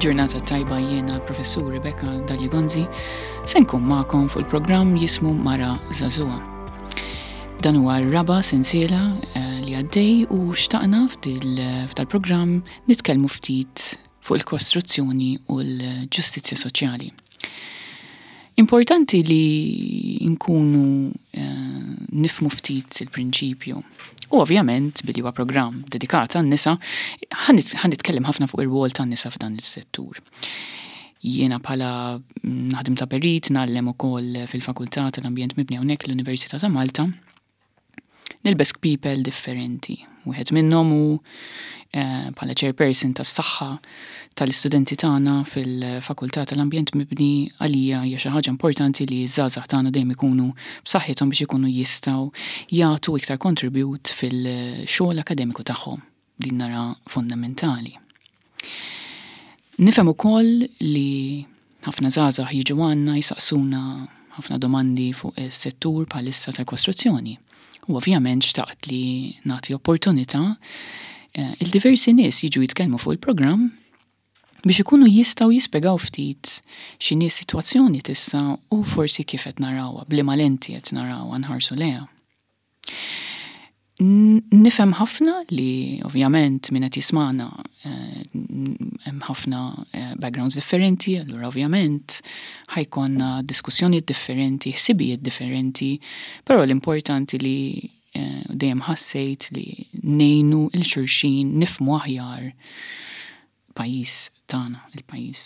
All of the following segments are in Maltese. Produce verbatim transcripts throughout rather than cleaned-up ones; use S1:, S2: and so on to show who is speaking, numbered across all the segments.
S1: Il-ġurnata tajba, jiena professur Rebecca Dalli Gonzi, se nkun magħkom fuq il-programm jismu Mara Żagħżugħa. Dan huwa r-raba' sensiela eh, li għaddej u xtaqna f'dal-programm nitkellmu ftit fuq il-kostruzzjoni u l-ġustizzja soċjali. Importanti li nkunu eh, nifhmu ftit il-prinċipju. U ovvjament, billi huwa programm dedikat għan-nisa, ħa nitkellem ħafna fuq ir-rwol tan-nisa f'dan is-settur. Jiena bħala naħdem ta' perit, ngħallem ukoll fil-Fakultà tal-Ambjent Mibni hawnhekk l-Università ta' Malta. Nilbes kpiepel differenti. Wieħed minnhom hu eh, bħala chairperson tas-saħħa tal-istudenti tagħna fil-Fakultà tal-Ambjent Mibni. Għalija hija xi ħaġa importanti li ż-żgħażagħ tagħna dejjem ikunu b'saħħithom biex ikunu jistgħu jagħtu iktar kontribut fil-xogħol akademiku tagħhom. Din nara fondamentali. Nifhem ukoll li ħafna żgħażagħ jiġu għandna jisaqsuna ħafna domandi fuq is-settur bħalissa tal-kostruzzjoni. U ovvjament xtaqt li nagħti opportunità eh, il-diversi nies jiġu jitkellmu fuq il-programm biex ikunu jistgħu jispjegaw ftit x'inhi sitwazzjoni t'issa u forsi kif qed narawha, b'liema lenti qed narawha, nħarsu lejha. Nifhem ħafna li ovvjament min qed jismagħna eh, hemm ħafna eh, backgrounds differenti, allura ovvjament ħa jkollna diskussjonijiet differenti, ħsibijiet differenti, però l-importanti li eh, dejjem ħassejt li ngħinu 'l xulxin nifhmu aħjar pajjiż tagħna, il-pajjiż.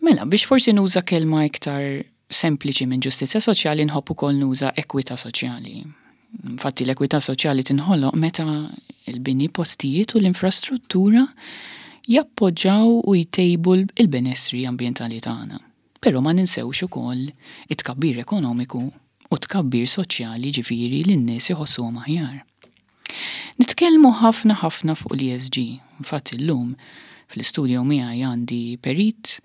S1: Mela, biex forsi nuża kelma iktar sempliċi minn ġustizzja soċjali, nħobb ukoll nuża ekwità soċjali. Infatti l-ekwità soċjali tinħoloq meta il-bini, postijiet u l-infrastruttura jappoġġaw u jtejbu il-benessri ambjentali tagħna. Però ma ninsewx ukoll it-tkabbir ekonomiku u tkabbir soċjali, ġifieri li n-nies iħossuhom aħjar. Nitkellmu ħafna ħafna fuq l-E S G. Infatti llum fl-istudio miegħi għandi perit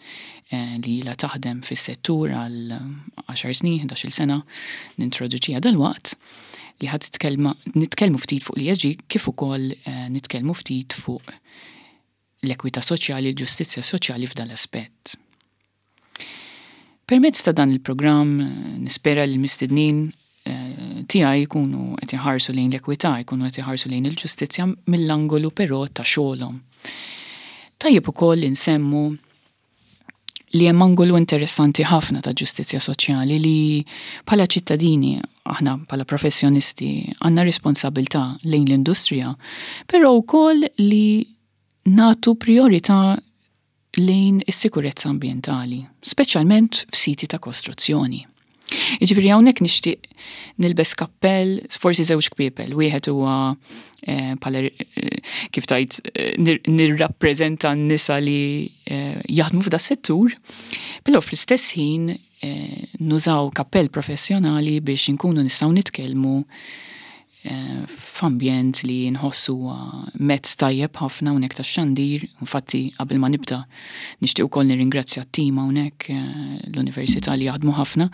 S1: eh, li ilha taħdem fis-settur għal għaxar snin, ħdax-il sena, nintroduċiha dalwaqt, li ħa nitkellmu ftit fuq l-E S G kif ukoll eh, nitkellmu ftit fuq l-ekwità soċjali, l-ġustizzja soċjali f'dan l-aspett. Permezz ta' dan il-programm eh, nispera li l-mistednin tiegħi jkunu qed iħarsu lejn l-ekwità, jkunu qed iħarsu lejn il-ġustizzja mill-angolu però ta' xogħolhom. Tajjeb ukoll insemmu li hemm angolu interessanti ħafna ta' ġustizzja soċjali li bħala ċittadini, aħna bħala professjonisti għandna responsabilità lejn l-industrija, però wkoll li nagħtu priorità lejn is-sikurezza ambjentali, speċjalment f'siti ta' kostruzzjoni. Jiġifieri hawnhekk nixtieq nilbes kappell, forsi żewġ kpiepel, wieħed huwa eh, bħala eh, kif tajt eh, nirrappreżenta n-nisa li jaħdmu f'da settur, però fl-istess ħin nużaw kappell professjonali biex inkunu nistgħu nitkellmu f'ambjent li nħossu mezz tajjeb ħafna hawnhekk tax-xandir. Infatti qabel ma nibda nixtieq ukoll nirringrazzja t-tim hawnhekk l-università li jaħdmu ħafna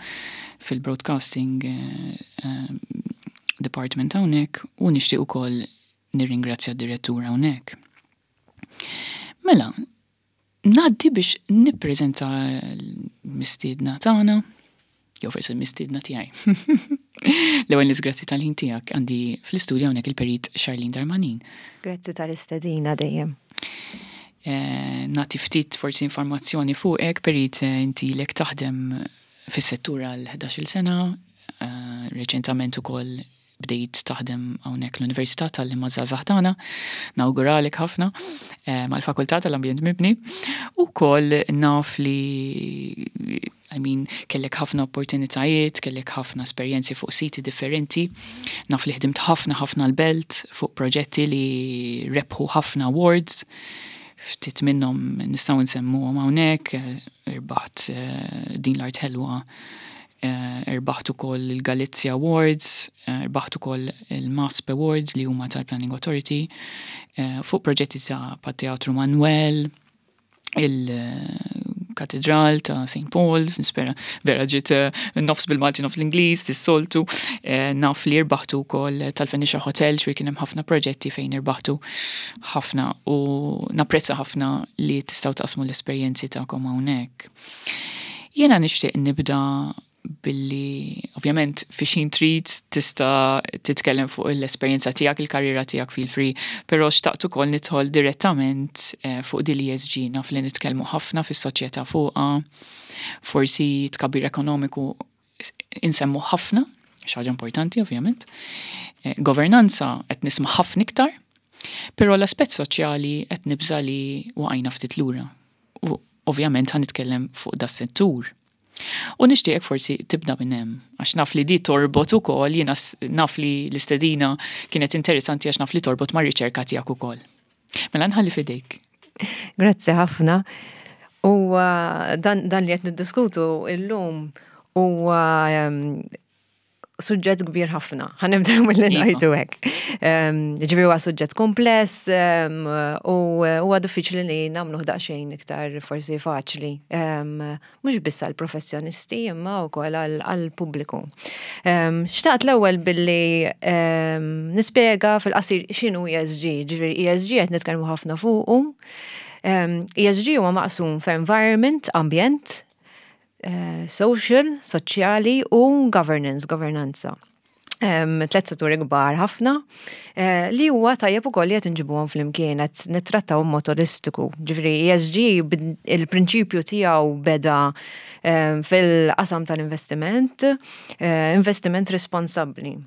S1: fil-broadcasting department hawnhekk u nixtieq ukoll nirringrazzja d-direttur hawnhekk. Mela, ngħaddi biex nippreżenta l-mistiedna tagħna, jew forsi l-mistiedna tiegħi. L-ewwel nies, grazzi tal-ħin tiegħek, għandi fl-istudju hawnhekk il-perit Charlene Darmanin.
S2: Grazzi tal-istedina dejjem.
S1: Eh, nagħti ftit forsi informazzjoni fuqek, perit, eh, inti ilek taħdem fis-settur għal ħdax-il sena, eh, reċentament ukoll bdejt taħdem hawnhekk l-Università tgħallem iż-żgħażagħ tagħna, nawguralek ħafna eh, mal-Fakultà tal-Ambjent Mibni. Ukoll naf li, I mean, kellek ħafna opportunitajiet, kellek ħafna esperjenzi fuq siti differenti. Naf li ħdimt ħafna ħafna l-Belt fuq proġetti li rebħu ħafna awards. Ftit minnhom nistgħu nsemmuhom hawnhekk, eh, irbaħt eh, Din l-Art Ħelwa, irbaħt ukoll il-Galizia Awards, irbaħt ukoll il-MASP Awards li huma tal-Planning Authority, fuq proġetti ta' Teatru Manuel, Katedral ta' Saint Paul's, nispera vera ġiet eh, nofs bil-Malti, nofs l-Ingliż, tis-soltu, eh, naf li rbaħtu wkoll tal-Phoenicia Hotel, ġifieri kien hemm ħafna proġetti fejn irbaħtu ħafna u napprezza ħafna li tistgħu taqsmu l-esperjenzi tagħkom hawnhekk. Jiena nixtieq nibda billi, ovvjament, fi xin trid tista' titkellem fuq l-esperjenza tiegħek, il-karriera tiegħek, feel free, però xtaqt ukoll nidħol direttament eh, fuq din l-E S G. Naf li nitkellmu ħafna fis-soċjetà fuqha, forsi tkabbir ekonomiku insemmu ħafna, xi ħaġa importanti ovvjament. Eh, governanza qed nisma' ħafna iktar, però l-aspett soċjali qed nibża li waqajna ftit lura. U ovvjament ħa nitkellem fuq das-settur. U nixtieq forsi tibda minn hemm, għax naf li di torbot ukoll, jiena naf li l-istedina kienet interessanti għax naf li torbot ma' riċerka tiegħek ukoll. Mela nħalli fidejk.
S2: Grazzi ħafna. U dan, dan li qed niddiskutu illum huwa suġġett kbir ħafna. Ħa nibdew mill-li iva. ngħidu hekk. Ġifieri huwa suġġett kompless u huwa diffiċli li nagħmluh daqsxejn iktar forsi faċli. Mhux biss għall-professjonisti imma wkoll għall-pubbliku. Xtaqt l-ewwel billi nispjega fil-qasir x'inhu E S G. Ġifieri E S G qed nitkellmu ħafna fuqu. E S G huwa maqsum f'environment, ambjent, Eh, social, soċjali u governance, governanza. Um, tlet setturi kbar ħafna uh, li huwa tajjeb ukoll li qed inġibuhom flimkien, qed nittrattaw mod olistiku. Ġifieri E S G il-prinċipju tiegħu beda um, fil-qasam tal-investiment, uh, investiment responsabbli,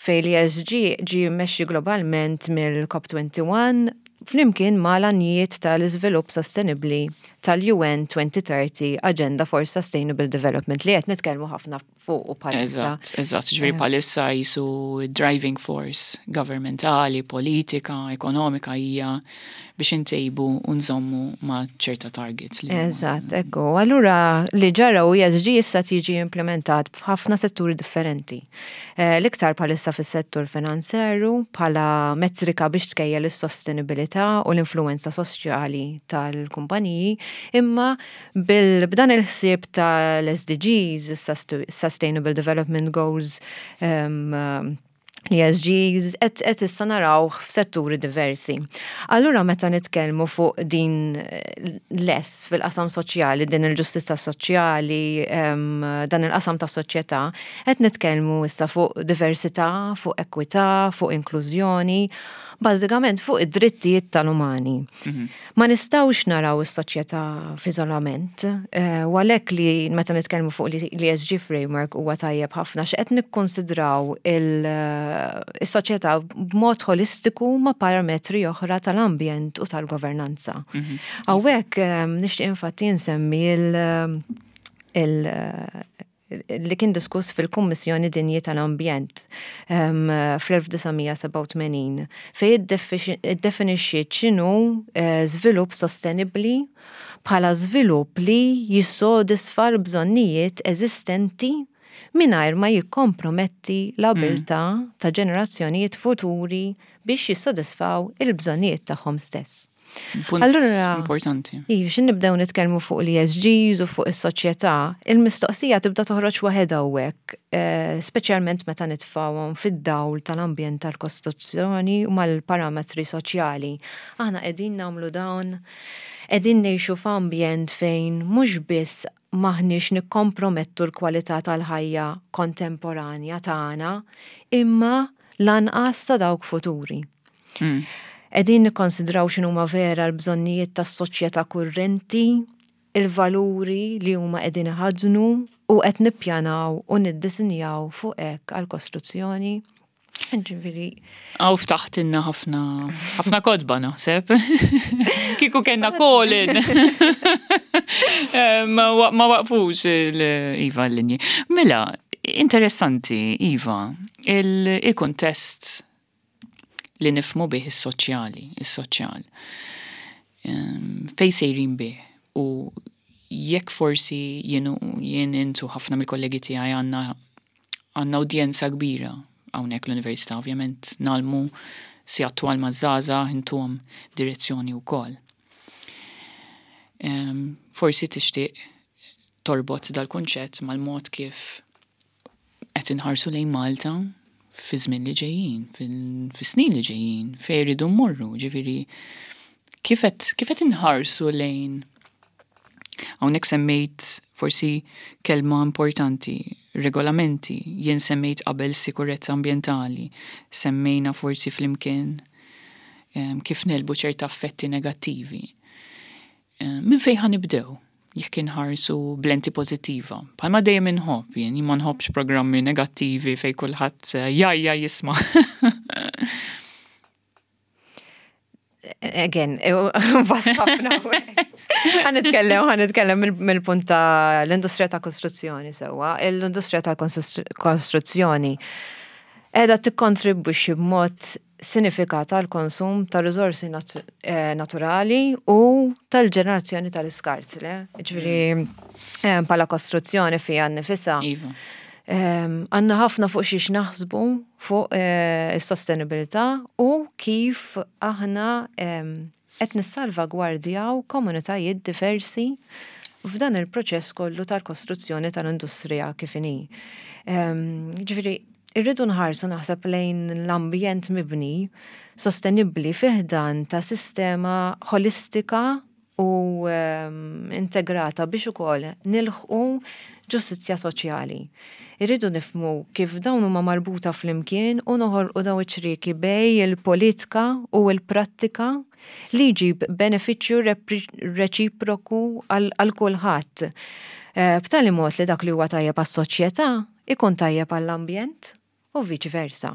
S2: fej l-E S G ġi mmexxi globalment mill-COP twenty-one flimkien ma l-għanijiet tal-iżvilupp sostenibli tal-U N twenty thirty Agenda for Sustainable Development li qed nitkellmu ħafna fuq u
S1: bħalissa. Eżatt, eżatt, ġifieri bħalissa jisu driving force governmentali, politika, ekonomika hija biex intejbu u nżommu ma' ċerta targets.
S2: Eżatt, ekku. Allura li ġara u E S G issa tiġi implementat f'ħafna setturi differenti. Eh, l-iktar bħalissa fis-settur finanzjarju bħala metrika biex tkejjel is-sostenibilità u l-influenza soċjali tal-kumpaniji, imma b'dan il-ħsieb tal-S D Gs, Sustainable Development Goals, um, E S Gs, et, et issa naraw f'setturi diversi. Allura meta nitkellmu fuq din l-S fil-qasam soċjali, din il-ġustizza soċjali, um, dan il-qasam ta' soċjetà, qed nitkellmu issa fuq diversità, fuq ekwità, fuq inklużjoni, bażikament fuq id-drittijiet tal-umani. Mhm. Ma nistgħux naraw is-soċjetà f'iżolament, eh, u għalhekk li meta nitkellmu fuq l-E S G framework huwa tajjeb ħafna x'qed nikkonsidraw il-soċjetà b'mod holistiku ma' parametri oħra tal-ambjent u tal-governanza. Mhm. Hawnhekk eh, nixtieq infatti nsemmi il- il- li kien diskuss fil-Kummissjoni Dinji tal-Ambjent fl-elf disa' mija sebgħa u tmenin, fej iddefinixxiet x'inhu eh, żvilupp sostenibbli bħala żvilupp li jissodisfa l-bżonnijiet eżistenti mingħajr ma jikkomprometti l-abilità mm. ta' ġenerazzjonijiet futuri biex jissodisfaw il-bżonnijiet tagħhom stess.
S1: Punt Allura, importanti.
S2: Iva, xin nibdew nitkellmu fuq l-E S Gs u fuq is-soċjetà, il-mistoqsija tibda toħroġ waħedha hawnhekk, eh, speċjalment meta nitfgħuhom fid-dawl tal-ambjent, tal-kostruzzjoni u mal-parametri soċjali. Aħna qegħdin nagħmlu dawn, qegħdin ngħixu f'ambjent fejn mhux biss m'aħniex nikkompromettu l-kwalità tal-ħajja kontemporanja tagħna, imma lanqas ta' dawk futuri. Mm. Qegħdin nikkonsidraw x'inhuma vera l-bżonnijiet tas-soċjetà kurrenti, il-valuri li huma qegħdin iħaddnu u qed nippjanaw u niddisinjaw fuq hekk għall-kostruzzjoni. Ġifieri.
S1: Għaw ftaħtilna ħafna ħafna kotba naħseb. Kieku kellna Colin. Eh, ma waqfux il-Iva l-linji. Mela, interessanti, Iva, il-kontest li nifhmu bih is-soċjali, is-soċjal. Fej sejrin bih u jekk forsi jienu jien intu ħafna mill-kollegi tiegħi għandna għandna udjenza kbira hawnhekk l-università, ovvjament ngħallmu si attwal maż-żgħażagħ, intuhom direzzjoni wkoll. Forsi tixtieq torbot dal-kunċett mal-mod kif qed inħarsu lejn Malta fi żmien li ġejjin, fis-snin li ġejjin, fejn iridu mmorru, ġifieri kif qed inħarsu lejn. Hawnhekk semmejt forsi kelma importanti, regolamenti, jien semmejt qabel sikurezza ambjentali, semmejna forsi flimkien kif negħlbu ċerta effetti negattivi. Minn fejn ħa nibdew jekk inħarsu b'lenti pożittiva? Bħalma dejjem inħobb, jien ma nħobbx programmi negattivi fejn kulħadd jajja jisma'.
S2: Again, vast ħafna. Ħa nitkellem, ħa nitkellem mill-punt ta' l-industrija ta' kostruzzjoni sewwa. L-industrija ta' kostruzzjoni qiegħda tikkontribwixxi b'mod sinifikat għal konsum ta' riżorsi eh, naturali u tal-ġenerazzjoni tal-iskart, le? Ġifieri eh, bħala kostruzzjoni fija nnifisha.
S1: Iva.
S2: Għandna ħafna fuq xiex naħsbu fuq eh, is-sostenibilità u kif aħna qed nissalvagwardjaw komunitajiet diversi f'dan il-proċess kollu tal-kostruzzjoni tal-industrija kif inhi. Ġifieri, irridu nħarsu, naħseb, lejn l-ambjent mibni sostenibbli fi ħdan ta' sistema holistika u integrata biex ukoll nilħqu ġustizzja soċjali. Irridu nifhmu kif dawn huma marbuta flimkien u noħolqu daw iċ-ċrieki bejn il-politika u l-prattika li jġib benefiċċju reċiproku għal kulħadd. Eh, b'tali mod li dak li huwa tajjeb għas-soċjetà ikun tajjeb għall-ambjent u viċi versa.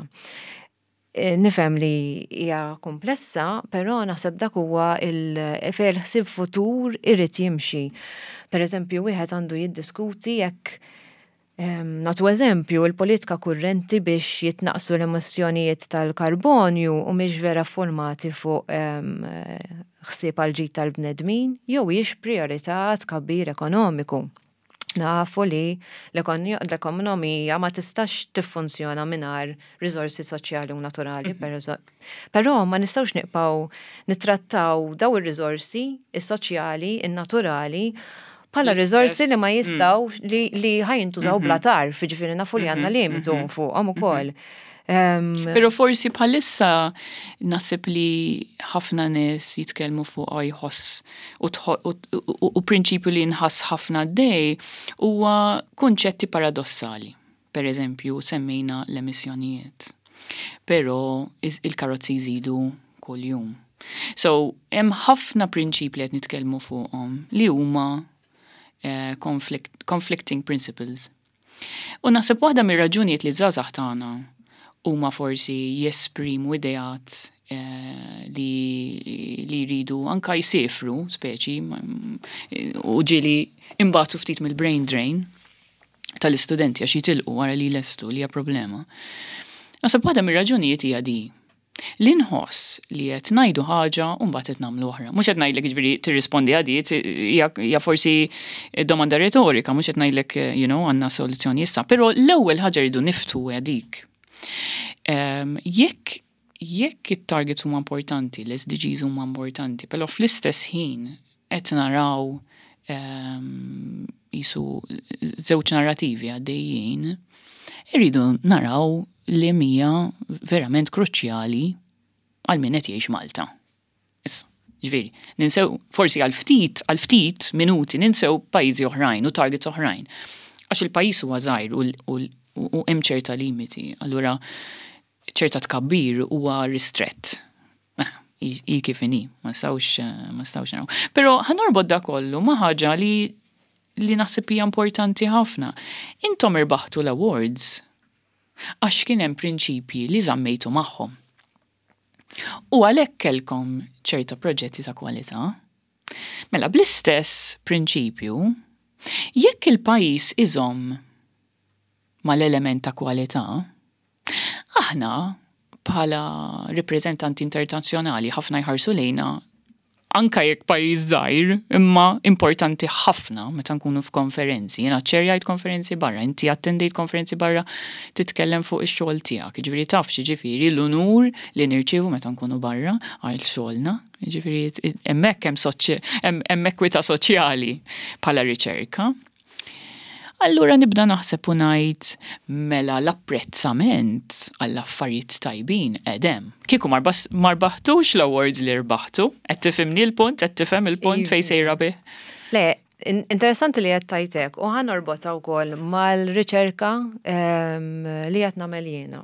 S2: Eh, nifhem li hija komplessa, però naħseb dak huwa il fejn il-ħsieb futur irid jimxi. Per eżempju, wieħed għandu jiddiskuti jekk, nagħtu eżempju, il-politika kurrenti biex jitnaqsu l-emissjonijiet tal-karbonju u mhix vera formati fuq ħsieb għal ġid tal-bnedmin jew hijiex priorità tkabbir ekonomiku. Nafu li l-ekonomija ma tistax tiffunzjona mingħajr riżorsi soċjali u naturali, mhm. però ma nistgħux nibqgħu nittrattaw daw ir-riżorsi is-soċjali, in-naturali bħala riżorsi li ma mm. jistgħu li, li ħa jintużaw bla mhm. tarf, ġifieri nafu li għandna mhm, limitu fuqhom ukoll.
S1: Pero forsi bħalissa naħseb li ħafna nies jitkellmu fuq jħoss u prinċipju li nħass ħafna dej huwa kunċetti paradossali. Per eżempju, semmejna l-emissjonijiet. Pero il-karozzi jżidu kull-jum. So, hemm ħafna prinċipji qed nitkellmu fuqhom li huma eh, conflict, conflicting principles. U naħseb waħda mir-raġunijiet li żgħażagħ tagħna huma forsi jesprimu ideat eh, li, li jridu anka jsifru, speċi, u ġieli imbatu ftit mill-brain drain tal-istudenti għax jitilqu wara li lestu, li hija problema. Naħseb waħda mir-raġunijiet hija di. Li nħoss li qed ngħidu ħaġa u mbagħad qed nagħmlu oħra. Mhux qed ngħidlek, jiġifieri, tirrispondi għadi, hija forsi domanda retorika, mhux qed ngħidlek you know, għandna soluzzjoni issa, però l-ewwel ħaġa rridu niftu hija dik. Jekk jekk it-targets huma importanti, l-S D Gs huma importanti, però fl-istess ħin qed naraw jisu żewġ narrativi għaddejjin, irridu naraw li hija verament kruċjali għal min qed jgħix Malta. Issa, ġifieri, ninsew forsi għal ftit, għal ftit minuti ninsew pajjiżi oħrajn u targets oħrajn. Għax il-pajjiż huwa żgħir u hemm ċerta limiti, allura ċerta tkabbir huwa ristrett. Eh, i kif inhi, ma nistgħux ma nistgħux naraw. Però ħa norbot da kollu ma' ħaġa li li naħseb hija importanti ħafna. Intom irbaħtu l-awards għax kien hemm prinċipji li żammejtu magħhom. U għalhekk kellkom ċerta proġetti ta' kwalità. Mela bl-istess prinċipju, jekk il-pajjiż iżomm mal-element ta' kwalità, aħna bħala rappreżentanti internazzjonali ħafna jħarsu lejna Anka jekk pajjiż żgħir, imma importanti ħafna meta nkunu f'konferenzi. Jiena ċerjajt konferenzi barra, inti attendejt konferenzi barra titkellem fuq ix-xogħol tiegħek. Jiġifieri taf x'jiġifieri l-unur li nirċievu meta nkunu barra għal xogħolna. Jiġifieri hemmhekk hemm hemm ekwità soċjali bħala riċerka. Allura nibda naħseb u ngħid mela l-apprezzament għall-affarijiet tajbin edem. Kieku ma rbaħtux l-awards li rbaħtu, qed tifhimni l-punt, qed tifhem il-punt fejn sejra bih.
S2: Le, interessanti li qed tajtek u ħa norbotha wkoll mal-riċerka li qed nagħmel jiena.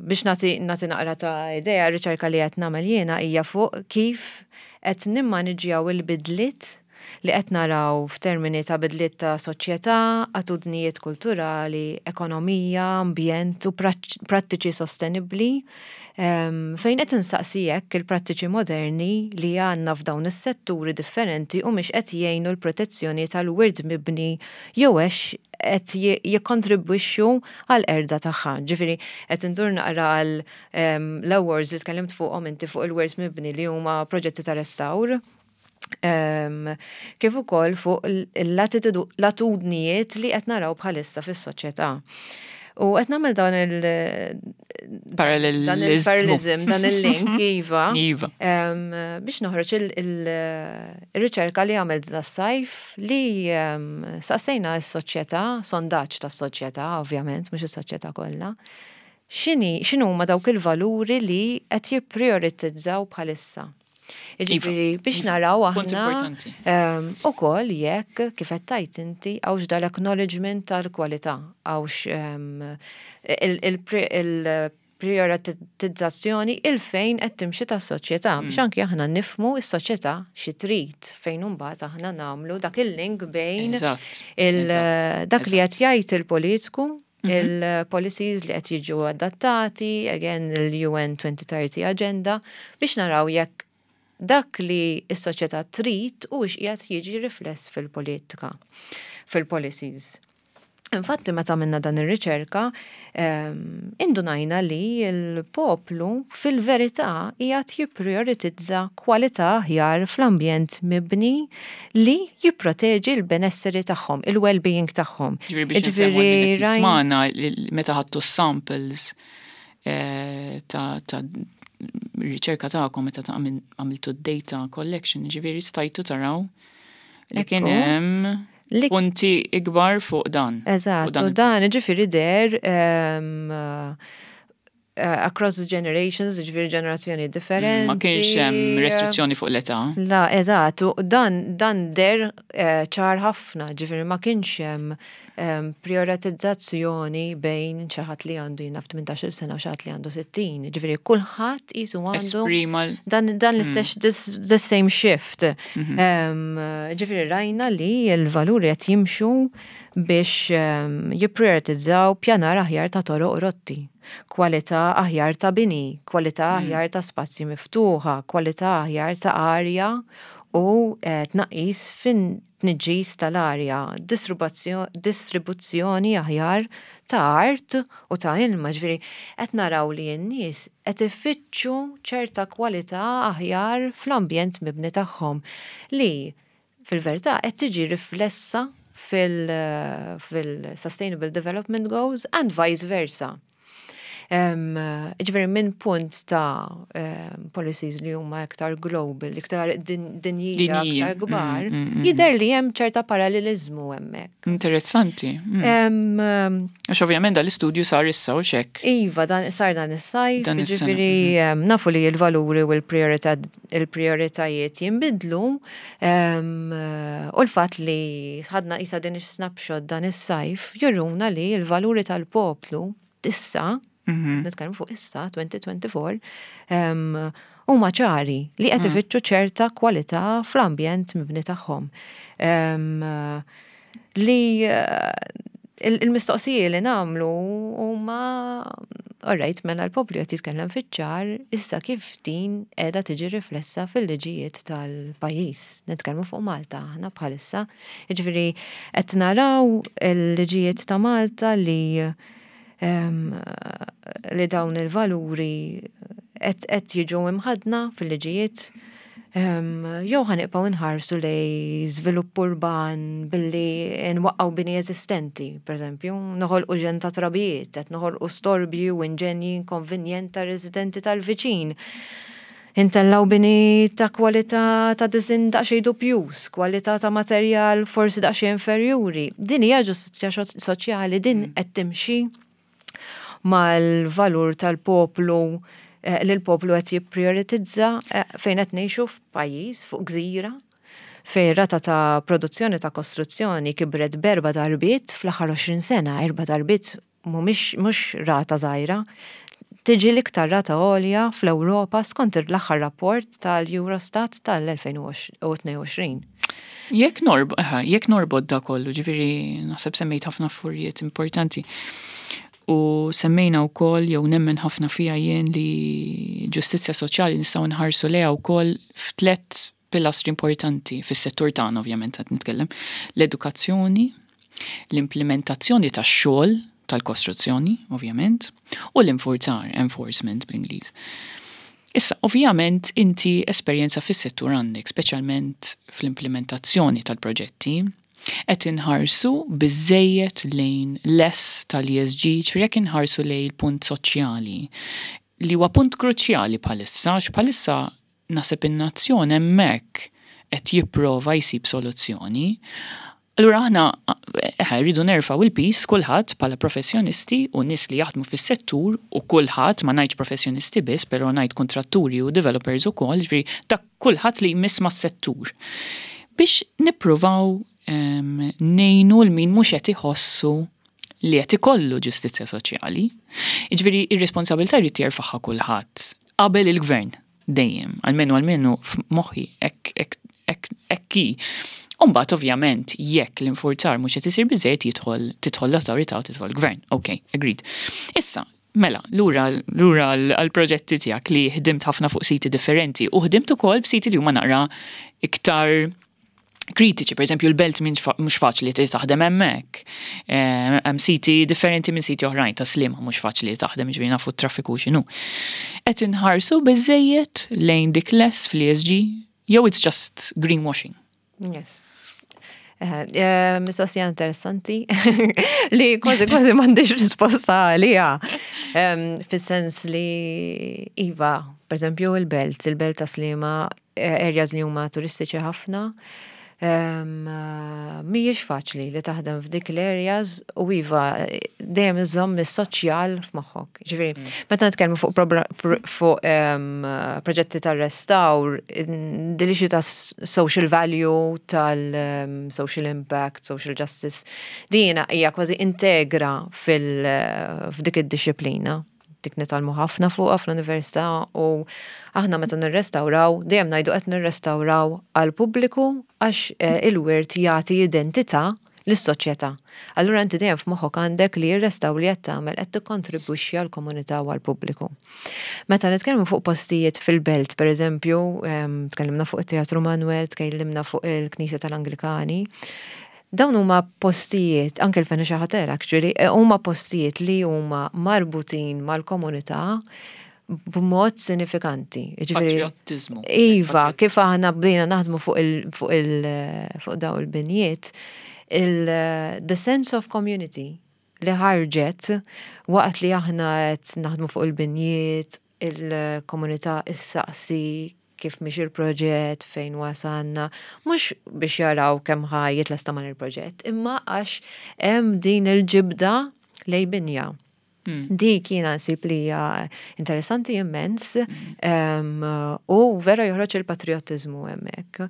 S2: Biex nagħti naqra ta' idea, riċerka li qed nagħmel jiena hija fuq kif qed nimmaniġjaw il-bidliet li qed naraw f'termini ta' bidliet ta' soċjetà, attitudnijiet kulturali, ekonomija, ambjent u prattiċi sostenibbli, fejn qed insaqsi jekk il-prattiċi moderni li għandna f'dawn is-setturi differenti u mhix qed jgħinu l-protezzjoni tal-wirt mibni jew hux qed jikkontribwixxu għal qerda tagħha. Ġifieri qed indur naqra għal l-awards li tkellimt fuqhom inti fuq il-wirt mibni li huma proġetti ta' restawr. Kif ukoll fuq l-attitudnijiet li qed naraw bħalissa fis-soċjetà. U qed nagħmel dan il-
S1: Parallelizmu.
S2: Parallelism, dan il-link, iva.
S1: Iva.
S2: Biex noħroġ il-riċerka li għamilt das-sajf li saqsejna s-soċjetà, sondaġġ tas-soċjetà, ovvjament, mhux is-soċjetà kollha. X'inhi, x'inhuma dawk il-valuri li qed jipprioritizzaw bħalissa? Jiġifieri biex naraw
S1: Punt
S2: aħna
S1: importanti.
S2: ukoll jekk kif qed tgħid inti hawnx dal-acknowledgement tal-kwalità, hawnx il-prioritizzazzjoni il-fejn qed timxi tas-soċjetà biex anki aħna nifhmu s-soċjetà xi trid fejn imbagħad aħna nagħmlu dak il-link bejn
S1: Eżatt,
S2: il-
S1: eżatt,
S2: dak li qed jgħid il-politiku,
S1: Mhm.
S2: il-policies li qed jiġu adattati, again il-U N twenty thirty Agenda, biex naraw jekk dak li s-soċjetà trid u qiegħed jiġi rifless fil-politika, fil-policies. Infatti, meta għamilna dan ir-riċerka, ehm, indunajna li l-poplu fil-verità qiegħed jipprioritizza kwalità aħjar fl-ambjent mibni li jipproteġi l-benesseri tagħhom, il-well-being tagħhom.
S1: Ġifieri biex
S2: Ġifieri
S1: nifhmu li
S2: rajn-
S1: jismana meta ħadtu samples eh, ta' ta' riċerka tagħkom, meta ta' għamil- għamiltu data collection, ġifieri stajtu taraw li kien
S2: Ekku.
S1: hemm
S2: Li
S1: punti ikbar fuq dan.
S2: Eżatt,
S1: Fuq dan
S2: u
S1: il-
S2: dan ġifieri der um, uh, across the generations, ġifieri ġenerazzjoni differenti.
S1: Ma kienx hemm restrizzjoni fuq l-età.
S2: La, eżatt, u dan, dan der eh, ċar ħafna, ġifieri ma kienx hemm em, prioritizzazzjoni bejn xi ħadd li għandu jien naf tmintax-il sena u xi ħadd li għandu sittin. Ġifieri kulħadd qisu għandu
S1: Esprima l-
S2: dan, dan l-istess, this, the same shift. Em, Ġifieri rajna li l-valuri qed jimxu biex em, jipprioritizzaw pjanar aħjar ta' toroq u rotti, kwalità aħjar ta' bini, kwalità aħjar ta' spazji miftuħa, kwalità aħjar ta' arja u eh, tnaqqis fin tniġġis tal-arja, distribuzzjo- distribuzzjoni aħjar ta' art u ta' ilma, ġifieri qed naraw li n-nies qed ifittxu ċerta kwalità aħjar fl-ambjent mibni tagħhom li fil-verità qed tiġi riflessa fil- fil-Sustainable Development Goals and vice versa. Um, ġifieri minn punt ta' um, policies li huma iktar global, iktar din, dinjija,
S1: Dinjija.
S2: iktar kbar,
S1: Mm, mm, mm.
S2: jidher li hemm ċerta parallelizmu hemmhekk.
S1: Interessanti. Mm.
S2: Um, um,
S1: Għax ovvjament dal-istudju sar issa u xek.
S2: Iva, dan sar dan is-sajf,
S1: Dan is-sena,
S2: ġifieri um, nafu li l-valuri u l-priorità- il-prioritajiet jinbidlu um, u l-fatt li ħadna isa din is-snapshot dan is-sajf juruna li l-valuri tal-poplu issa,
S1: Mhm.
S2: nitkellmu fuq issa, twenty twenty-four, um, huma ċari li qed ifittxu ċerta kwalità fl-ambjent mibni tagħhom. Um, li eh, il- il-mistoqsiji li nagħmlu huma, alright, mela l-poplu qed jitkellem fiċ-ċar, issa kif din qiegħda tiġi riflessa fil-liġijiet tal-pajjiż? Nitkellmu fuq Malta aħna bħalissa. Jiġifieri qed naraw il-liġijiet ta' Malta li em, li dawn il-valuri qed qed jiġu imħadna fil-liġijiet. Jew ħa nibqgħu nħarsu lejn żvilupp urban billi nwaqqgħu bini eżistenti, per eżempju, noħolqu ġenn ta' trabijiet, qed noħolqu storbji u inġenji inkonvenjent ta' residenti tal-viċin. Intellaw bini ta' kwalità ta' design daqsxejn dubjuż, kwalità ta' materjal forsi daqsxejn inferjuri. Din hija ġustizzja soċjali, din mm. qed timxi mal-valur tal-poplu eh, li l-poplu qed jipprioritizza eh, fejn qed ngħixu f'pajjiż fuq gżira fejn rata ta' produzzjoni ta' kostruzzjoni kibret b'erba' darbiet fl-aħħar għoxrin sena, erba' darbiet mhumiex mhux rata żgħira. Tiġi l-iktar rata għolja fl-Ewropa skont l-aħħar rapport tal-Eurostat tal-elfejn u tnejn u għoxrin.
S1: Jekk norb, jekk norbot da kollu, ġifieri naħseb semmejt ħafna affarijiet importanti. U semmejna wkoll, jew nemmen ħafna fija jien, li ġustizzja soċjali nistgħu nħarsu lejha wkoll f'tlet pilastri importanti fis-settur tagħna, ovvjament qed nitkellem: l-edukazzjoni, l-implementazzjoni tax-xogħol tal-kostruzzjoni, ovvjament, u l-infurzar, enforcement bl-Ingliż. Issa, ovvjament, inti esperjenza fis-settur għandek, speċjalment fl-implementazzjoni tal-proġetti, qed inħarsu biżejjed lejn l-S tal-E S G, ġifieri jekk inħarsu lejn il-punt soċjali, li huwa punt kruċjali bħalissa, għax bħalissa naħseb in-nazzjon hemmhekk qed jipprova jsib soluzzjoni. Allura aħna eh, rridu nerfgħu il-piż kulħadd bħala professjonisti u nies li jaħdmu fis-settur u kulħadd, ma ngħidx professjonisti biss, però ngħid kontratturi u developers ukoll, ġifieri dak kulħadd li jmiss mas-settur. Biex nippruvaw ngħinu lil min mhux qed iħossu li qed ikollu ġustizzja soċjali. Jiġifieri ir-responsabilità jrid jerfagħha kulħadd qabel il-gvern dejjem, almenu almenu f'moħħi hekk hi. Umbagħad, ovvjament, jekk l-infurzar mhux qed isir biżejjed, jidħol tidħol l-awtorità u tidħol l-gvern. Ok, agreed. Issa, mela, lura lura għal-proġetti tiegħek li ħdimt ħafna fuq siti differenti u ħdimt ukoll f'siti li huma naqra iktar kritiċi, per eżempju l-Belt mhux faċli li taħdem hemmhekk. Eh, hemm siti differenti minn siti oħrajn, ta' Sliema mhux faċli li taħdem, ġifieri nafu t-traffiku x'inhu. Qed inħarsu biżejjed lejn dik l-S fl-E S G jew it's just greenwashing?
S2: Yes. Eh, eh, mistoqsija interessanti li kważi kważi m'għandix risposta għaliha. Fis-sens li iva, per eżempju il-Belt, il-Belt ta' Sliema, areas li huma turistiċi ħafna, mhijiex faċli li taħdem f'dik l-areas u iva, dejjem iżomm is-soċjal f'moħħok. Ġifieri, mm. meta nitkellmu fuq fuq proġetti tar-restawr, din ta' social value, tal-social impact, social justice, dina hija kważi integra fil-f'dik id-disciplina. Dik nitgħallmu ħafna fuqha fl-università u aħna meta nirrestawraw, dejjem ngħidu qed nirrestawraw għal pubbliku għax eh, il-wirt jagħti identità lis-soċjetà. Allura inti dejjem f'moħħok għandek li jirrestaw li qed tagħmel qed tikkontribwixxi għall-komunità u għall-pubbliku. Meta nitkellmu fuq postijiet fil-Belt, per eżempju, tkellimna fuq it-Teatru Manuel, tkellimna fuq il-Knisja tal-Anglikani, dawn huma postijiet, anke l-Phoenicia Hotel actually, eh, huma postijiet li huma marbutin mal-komunità b'mod sinifikanti.
S1: Patriotizmu.
S2: Iva, kif aħna bdejna naħdmu fuq il fuq il fuq daw il-binjiet, il the sense of community li ħarġet waqt li aħna qed naħdmu fuq il-binjiet, il-komunità issaqsi kif miexi il-proġett, fejn wasanna, mhux biex jaraw kemm ħa jitlesta man il-proġett, imma għax hemm din il-ġibda lejn binja. Hmm. Dik jiena nsib li hija interessanti immens hmm. u vera joħroġ il-patriotizmu hemmhekk.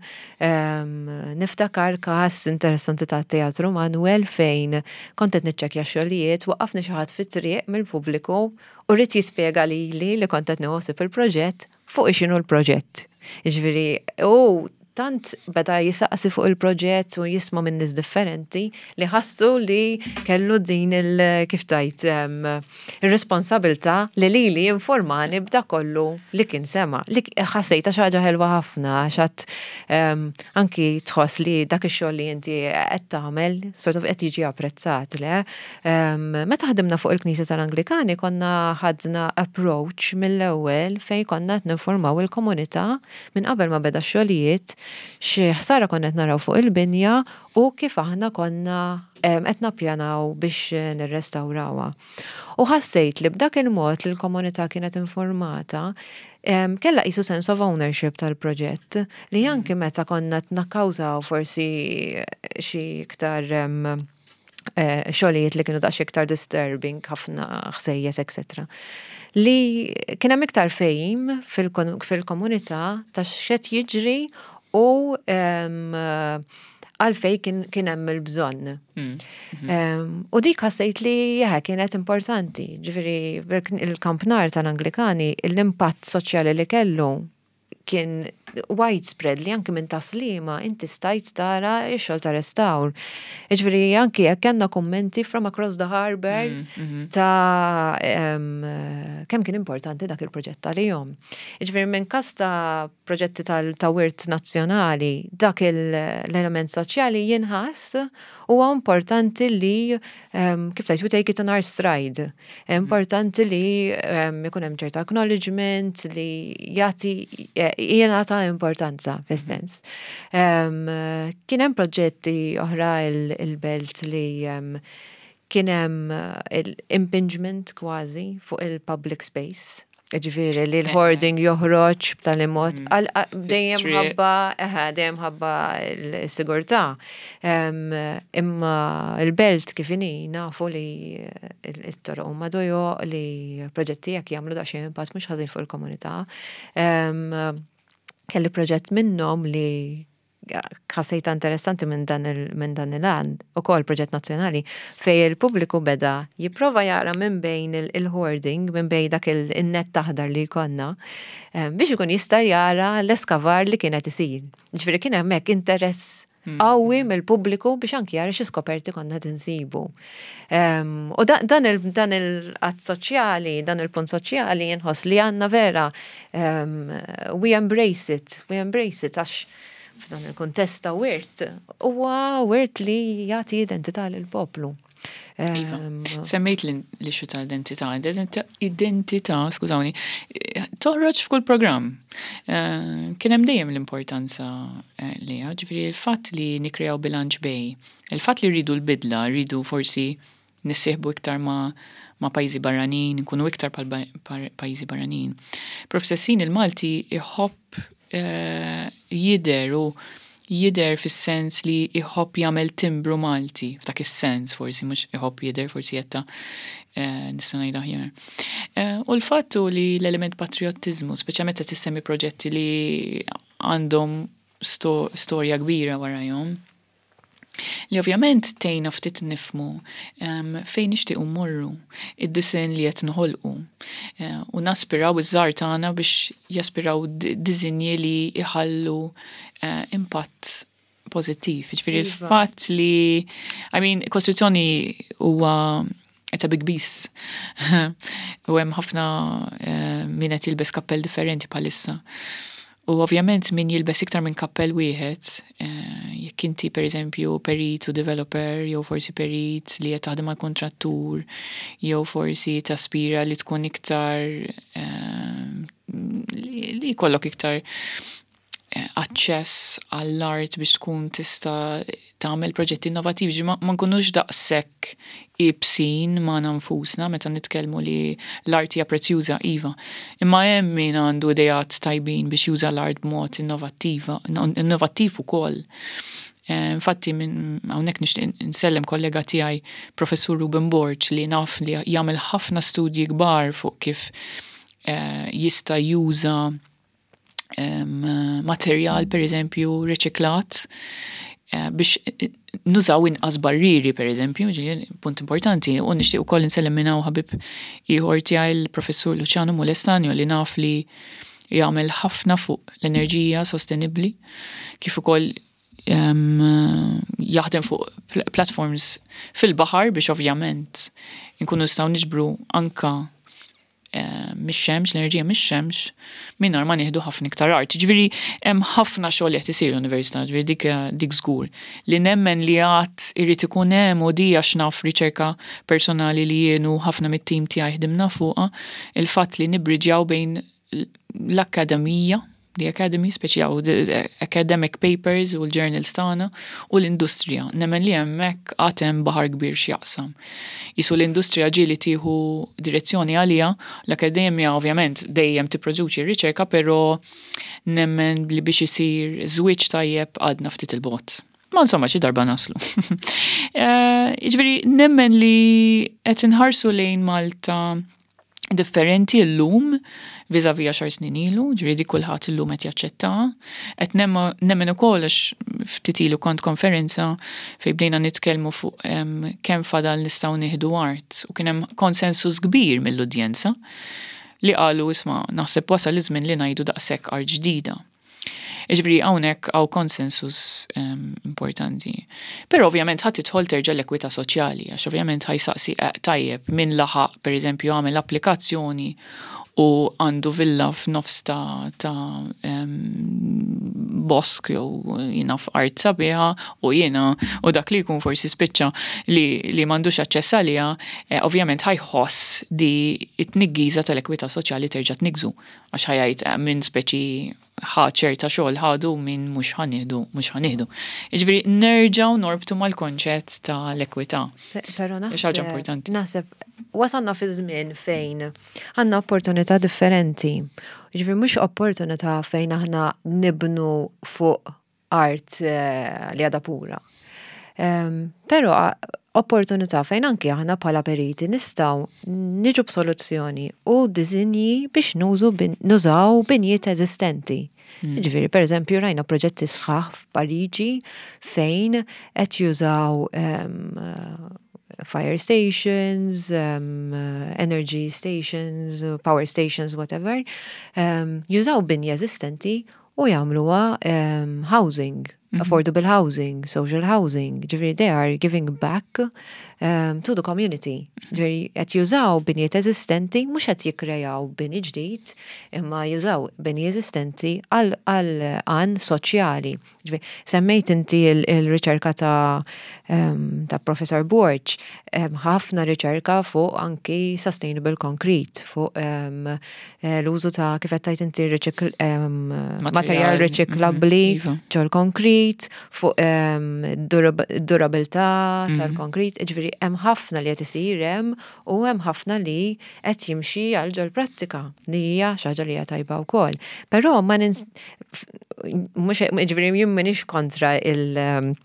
S2: Niftakar każ interessanti ta' Teatru Manuel fejn kont qed niċċekkja xogħlijiet, waqafni xi ħadd fit-triq mill-pubbliku u ried jispjega lili li kont qed nieħu il-proġett fuq x'inhu l-proġett. Jiġifieri, u Tant beda jisaqsi fuq il-proġett u jisma' minn nies differenti li ħassu li kellu din il kif tgħid ir-responsabilità li lili jinformani b'dak kollu li kien sema. Li ħassejta xi ħaġa ħelwa ħafna għax anki tħoss li dak ix-xogħol li inti qed tagħmel sort of qed jiġi apprezzat, le? Meta ħdimna fuq il-Knisja tal-Anglikani, konna ħadna approach mill-ewwel fejn konna qed ninformaw il-komunità minn qabel ma beda x-xogħlijiet xi ħsara konna qed naraw fuq il-binja u kif aħna konna qed nappjanaw biex nirrestawrawha. U ħassejt li b'dak il-mod li l-komunità kienet informata, kellha qisu sense of ownership tal-proġett li anki meta konna qed nakkawżaw forsi xi iktar eh, xogħlijiet li kienu daqs iktar disturbing, ħafna ħsejjes, et cetera. Li kien hemm iktar fehim fil-komunità ta' x'qed jiġri u għalfejn kien hemm il-bżonn. Mm. U dik ħassejt li jaha kienet importanti. Ġifieri, il-kampnar tal-Anglikani, l-impatt soċjali li kellu kien widespread li anki minn Tas-Sliema inti stajt tara x-xogħol ta' restawr. Ġifieri anki jekk kellna kummenti from across the harbor mm, mhm. ta' kemm kien importanti dak il-proġett tal-jom. Ġifieri minn kas ta' proġetti ta' wirt nazzjonali, dak l-element soċjali jinħass, huwa importanti li, kif tgħid, we take it on our stride. Importanti li ikun hemm ċerta acknowledgement li jagħti jingħata importanza fis-sens. Kien hemm proġetti oħra il-Belt li kien hemm impingement kważi fuq il-public space. Ġifieri li l-hoarding joħroġ b'tali mod, mm. dejjem ħabba, dejjem ħabba l-sigurtà. Imma il-Belt kif inhi nafu li t-toroq huma dojoq, li proġetti jekk jagħmlu daqsxejn impatt mhux ħażin fuq il-komunità. Kelli proġett minnhom li ħassejta interessanti minn dan il-għan, ukoll proġett nazzjonali, fejn il-pubbliku beda jipprova jara minn bejn il-hoarding, minn bejn dak il-net aħdar li konna, biex ikun jista' jara l-eskavar li kienet isir. Ġifieri kien hemmhekk interess hmm. qawwi mill-pubbliku biex anki jara xi skoperti konna tinsibu. U dan il-att soċjali, dan il-punt soċjali jinħoss li għandna vera we embrace it, we embrace it għax f'dan il-kontest ta' wirt, huwa wirt li jagħti identità lill-poplu.
S1: Iva. Semmejt l-issue ta' identità. Identità, skużawni, toħroġ f'kull programm. Eh, kien hemm dejjem l-importanza eh, li ġifieri il-fatt li nikreaw bilanċ bejn, il-fatt li rridu l-bidla, rridu forsi nissieħbu iktar ma' ma' pajjiżi barranin, nkunu iktar pal pajjiżi barranin. Però fl-istess ħin il-Malti iħobb eh, jidher u jidher fis-sens li iħobb jagħmel timbru Malti, f'dak is-sens forsi mhux iħobb jidher, forsi jetta eh, nista' ngħid aħjar. Eh, u l-fattu li l-element patriottiżmu, speċjalment meta tissemmi proġetti li għandhom storja kbira warajhom, li ovvjament tgħinna ftit nifhmu um, fejn nixtiequ mmorru, id-disinn li qed noħolqu. Uh, u naspiraw iż-żgħar tagħna biex jaspiraw disinji li jħallu uh, impatt pożittiv. Ġifieri iva. il-fatt li, I mean, kostruzzjoni huwa it's a big beast. U hemm ħafna uh, min qed jilbes kappell differenti bħalissa. U ovvjament min jilbes iktar minn kappell wieħed, eh, jekk inti per eżempju perit u developer, jew forsi perit li qed taħdem mal kontrattur, jew forsi taspira li tkun iktar eh, li jkollok iktar eh, aċċess għall-art biex tkun tista' tagħmel proġetti innovativi, ma nkunux daqshekk ibsin ma' nfusna meta nitkellmu li l-art hija prezzjuża, iva. Imma hemm min għandu ideat tajbin biex juża l-art b'mod innovattiva, innovattiv ukoll. Eh, infatti minn hawnhekk nixtieq nsellem kollega tiegħi, Professur Ruben Borg, li naf li jagħmel ħafna studji kbar fuq kif eh, jista' juża materjal, per eżempju, riċiklat eh, biex nużaw inqas barriri, per eżempju, punt importanti, u nixtieq ukoll insellem minn hawn ħabib ieħor tiegħi, l-Professur Luciano Molestanio, li naf li Jagħmel ħafna fuq l-enerġija sostenibbli, kif ukoll jaħdem fuq platforms fil-baħar biex ovvjament nkunu nistgħu niġbru anka mix-xemx, l-enerġija mix-xemx, mingħajr ma nieħdu ħafna iktar art. Ġifieri hemm ħafna xogħol li qed isir l-università, ġifieri dik dik żgur. Li nemmen li għad irid ikun hemm, u di għax naf riċerka personali li jien u ħafna mit-tim tiegħi ħdimna fuqha, il-fatt li nibbriġjaw bejn l-akkademija, the academy, speċi the academic papers u l-journals tagħna u l-industrija. Nemmen li hemmhekk għad hemm baħar kbir x'jaqsam. Jisu l-industrija ġieli tieħu direzzjoni għalija, l-akademja ovvjament dejjem tipproduċi r-riċerka, però nemmen li biex isir żwieġ tajjeb għadna ftit il-bogħod. Ma insomma, xi darba naslu. Jiġifieri nemmen li qed inħarsu lejn Malta differenti llum vis-à-vis għaxar snin ilu, ġifieri dik kulħadd illum qed jaċċettaha. Qed nemmen ukoll għax ftit ilu kont konferenza fejn bdejna nitkellmu fuq kemm fadal nistgħu nieħdu art, u kien hemm konsensus kbir mill-udjenza li qalu isma' naħseb wasal iż-żmien li ngħidu daqshekk art ġdida. Jiġifieri hawnhekk hawn konsensus importanti. Però ovvjament ħadd tidħol terġa' l-ekwità soċjali, għax ovvjament ħajsaqsi tajjeb min laħaq pereżempju għamel applikazzjoni u għandu villa f'nofs ta' ta' bosk jew jiena f'art sabiħa u jiena u dak li jkun forsi spiċċa li li m'għandux aċċess għaliha, ovvjament ħajħoss di t-tniggiża tal-ekwità soċjali terġa' tniggżu, għax ħajgħid minn speċi ħa ċerta xogħol ħadu, min mhux ħanieħdu, mhux ħanieħdu. Jiġifieri nerġgħu norbtu mal-konċett tal-ekwità.
S2: Però
S1: Hija xi ħaġa importanti.
S2: Naħseb wasalna fi żmien fejn għandna opportunità differenti. Jiġifieri mhux opportunità fejn aħna nibnu fuq art li għadha pura. Però opportunità fejn anki aħna bħala periti nistgħu niġu b'soluzzjoni u disinji biex nużu nużaw binjiet eżistenti. Jiġifieri, per eżempju, rajna proġetti sħaħ f'Pariġi fejn qed jużaw fire stations, um, energy stations, power stations, whatever, um, jużaw binja eżistenti u jagħmluha um, housing, mm -hmm. affordable housing, social housing. Ġifieri they are giving back um, to the community. Ġifieri qed jużaw binjiet eżistenti, mhux qed jikkrejaw bini ġdid, imma jużaw bini eżistenti għal għan soċjali. Ġifieri semmejt inti il-riċerka ta' um, ta' Professor Borg, ħafna riċerka fuq anki sustainable concrete, fuq um, l-użu ta' kif qed tgħid inti um, materjal riċiklabbli mhm, ġol konkrit, fuq um, durabilità mm -hmm. tal-konkrit, ġifieri hemm ħafna li qed isir hemm u hemm ħafna li qed jimxi għal ġol prattika li hija xi ħaġa li hija tajba wkoll. Però ma nins mhux ġifieri jien m'iniex kontra il-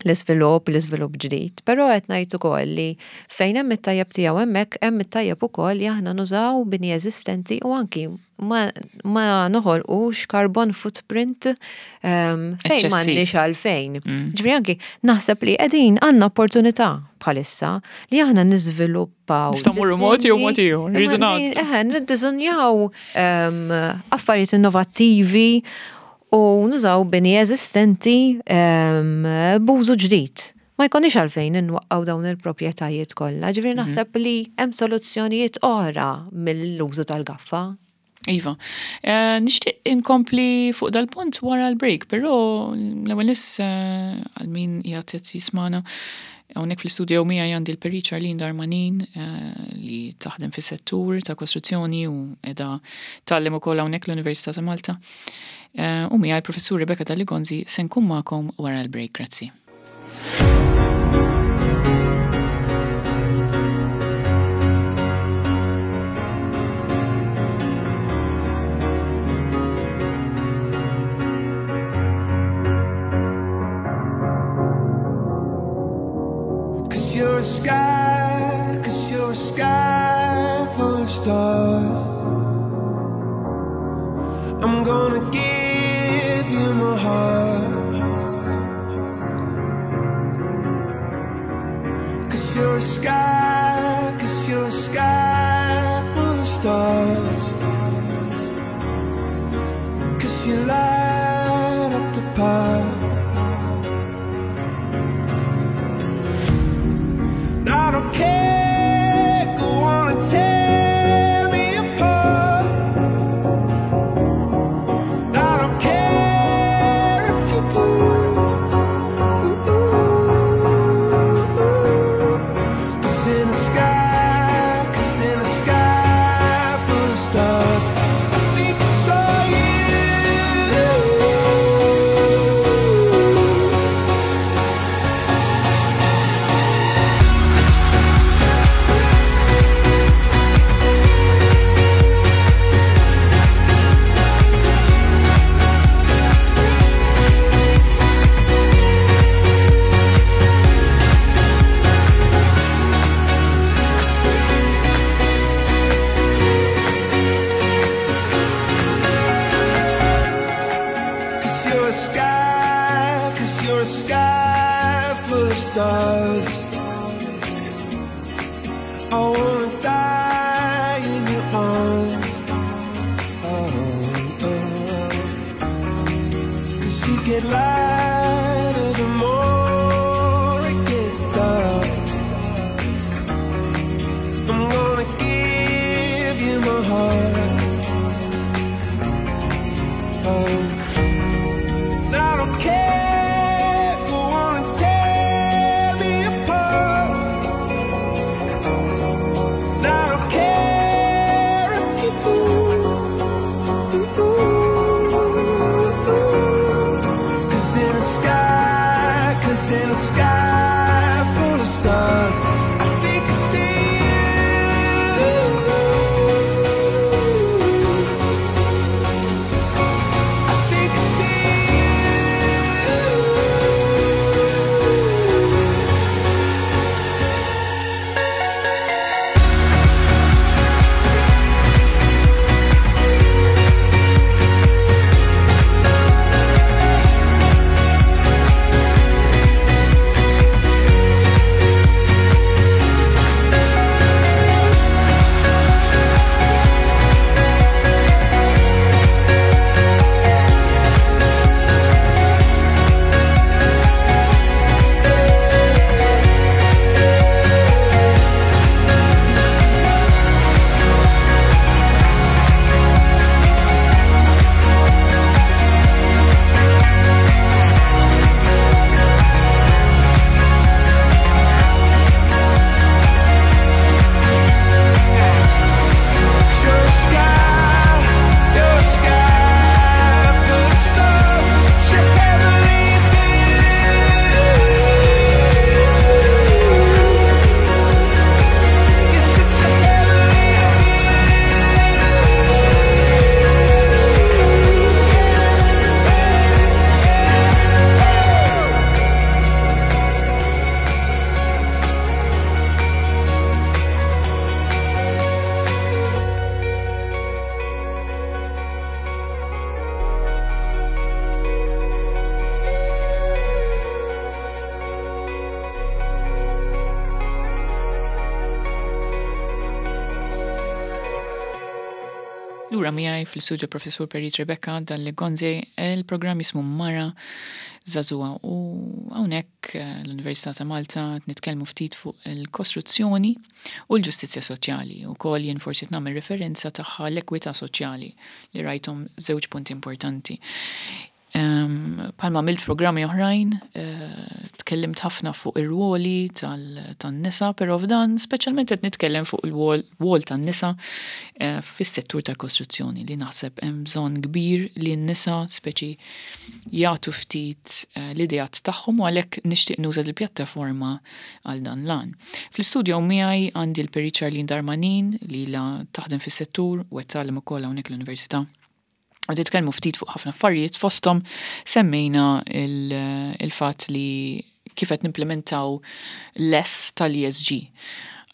S2: l-iżvilupp, l-iżvilupp ġdid, però qed ngħid ukoll li fejn hemm it-tajjeb tiegħu hemmhekk hemm it-tajjeb ukoll li aħna nużaw bini eżistenti u anki ma, ma noħolqux carbon footprint um, fejn m'għandniex għalfejn. Mm. Ġifieri anki naħseb li qegħdin għandna opportunità bħalissa li aħna niżviluppaw.
S1: Nistgħu mmorru mod jew mod ieħor, rridu nagħżlu.
S2: Eħe, niddiżunjaw um, affarijiet innovattivi u nużaw bini eżistenti um, b'użu ġdid. Ma jkunix għalfejn inwaqqaw dawn il-proprjetajiet kollha. Ġifieri mhm. naħseb li hemm soluzzjonijiet oħra mill-użu tal-gaffa.
S1: Iva, uh, nixtieq inkompli fuq dal-punt wara l-break, però l-ewwel nis għal min qiegħed jismana hawnhekk fl-istudio miegħi għandi l-Perit Charlene Darmanin li taħdem fis-settur ta' kostruzzjoni u qiegħda tgħallem ukoll hawnhekk l-Università ta' Malta. U miegħi l-Professur Rebecca Dalli Gonzi se nkun magħkom wara l-break, grazzi.
S3: Cause you're a sky, cause you're a sky full of stars. I'm gonna give you my heart. Cause you're a sky, cause you're a sky full of stars. apart. I don't care, go on and tear me apart. I don't care if you do. 'Cause in the sky, 'cause in the sky full of stars, I think I saw you. 'Cause you're a sky, 'cause you're a sky full of stars. I wanna die in your arms. Oh, oh. 'Cause you get lighter the more it gets dark. I'm gonna give you my heart. Oh. I don't care, go on and tear me apart. I don't care if you do. 'Cause in the sky, 'cause in the sky full of stars, I think I see you. I think I see you. 'Cause you're a sky, you're a sky full of stars. Such a heavenly view. You're such a heavenly
S1: Lura miegħi fl-istudio Professur Perit Rebecca Dalli Gonzi, il-programm jismu Mara Żagħżugħa u hawnhekk eh, l-Università ta' Malta nitkellmu ftit fuq il-kostruzzjoni u l-ġustizzja soċjali u kol jien forsi nagħmel referenza tagħha l-ekwità soċjali li rajthom żewġ punti importanti. Um, Bħalma għamilt programmi oħrajn, eh, tkellimt ħafna fuq ir-ruoli tan-nisa, però f'dan speċjalment qed nitkellem fuq il-rwol tan-nisa eh, fis-settur tal-kostruzzjoni li naħseb hemm bżonn kbir li n-nisa speċi jagħtu ftit eh, l-ideat tagħhom u għalhekk nixtieq nuża l-pjattaforma għal dan l-għan. Fl-istudio miegħi għandi l-Perit Charlene Darmanin li la taħdem fis-settur u qed tgħallem ukoll hawnhekk l-Università. U nitkellmu ftit fuq ħafna affarijiet fosthom semmejna il-fatt li kif qed nimplementaw l-S tal-E S G.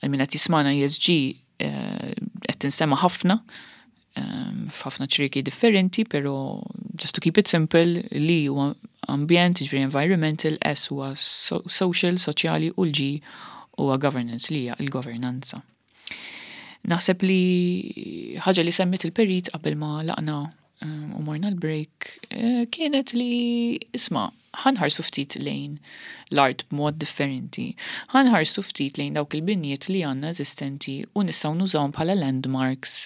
S1: Għal min qed jismana, E S G eh, qed tinstema' ħafna eh, f'ħafna ċrieki differenti, pero just to keep it simple, li huwa ambjent, ġifieri environmental, S huwa social, soċjali, u l-G huwa governance, li hija l-governanza. Naħseb li ħaġa li semmit il-perit qabel ma laqna um, u morna l-break, eh, kienet li isma', ħa nħarsu ftit lejn l-art b'mod differenti. Ħa nħarsu ftit lejn dawk il-binjiet li għandna eżistenti u nistgħu nużawhom bħala landmarks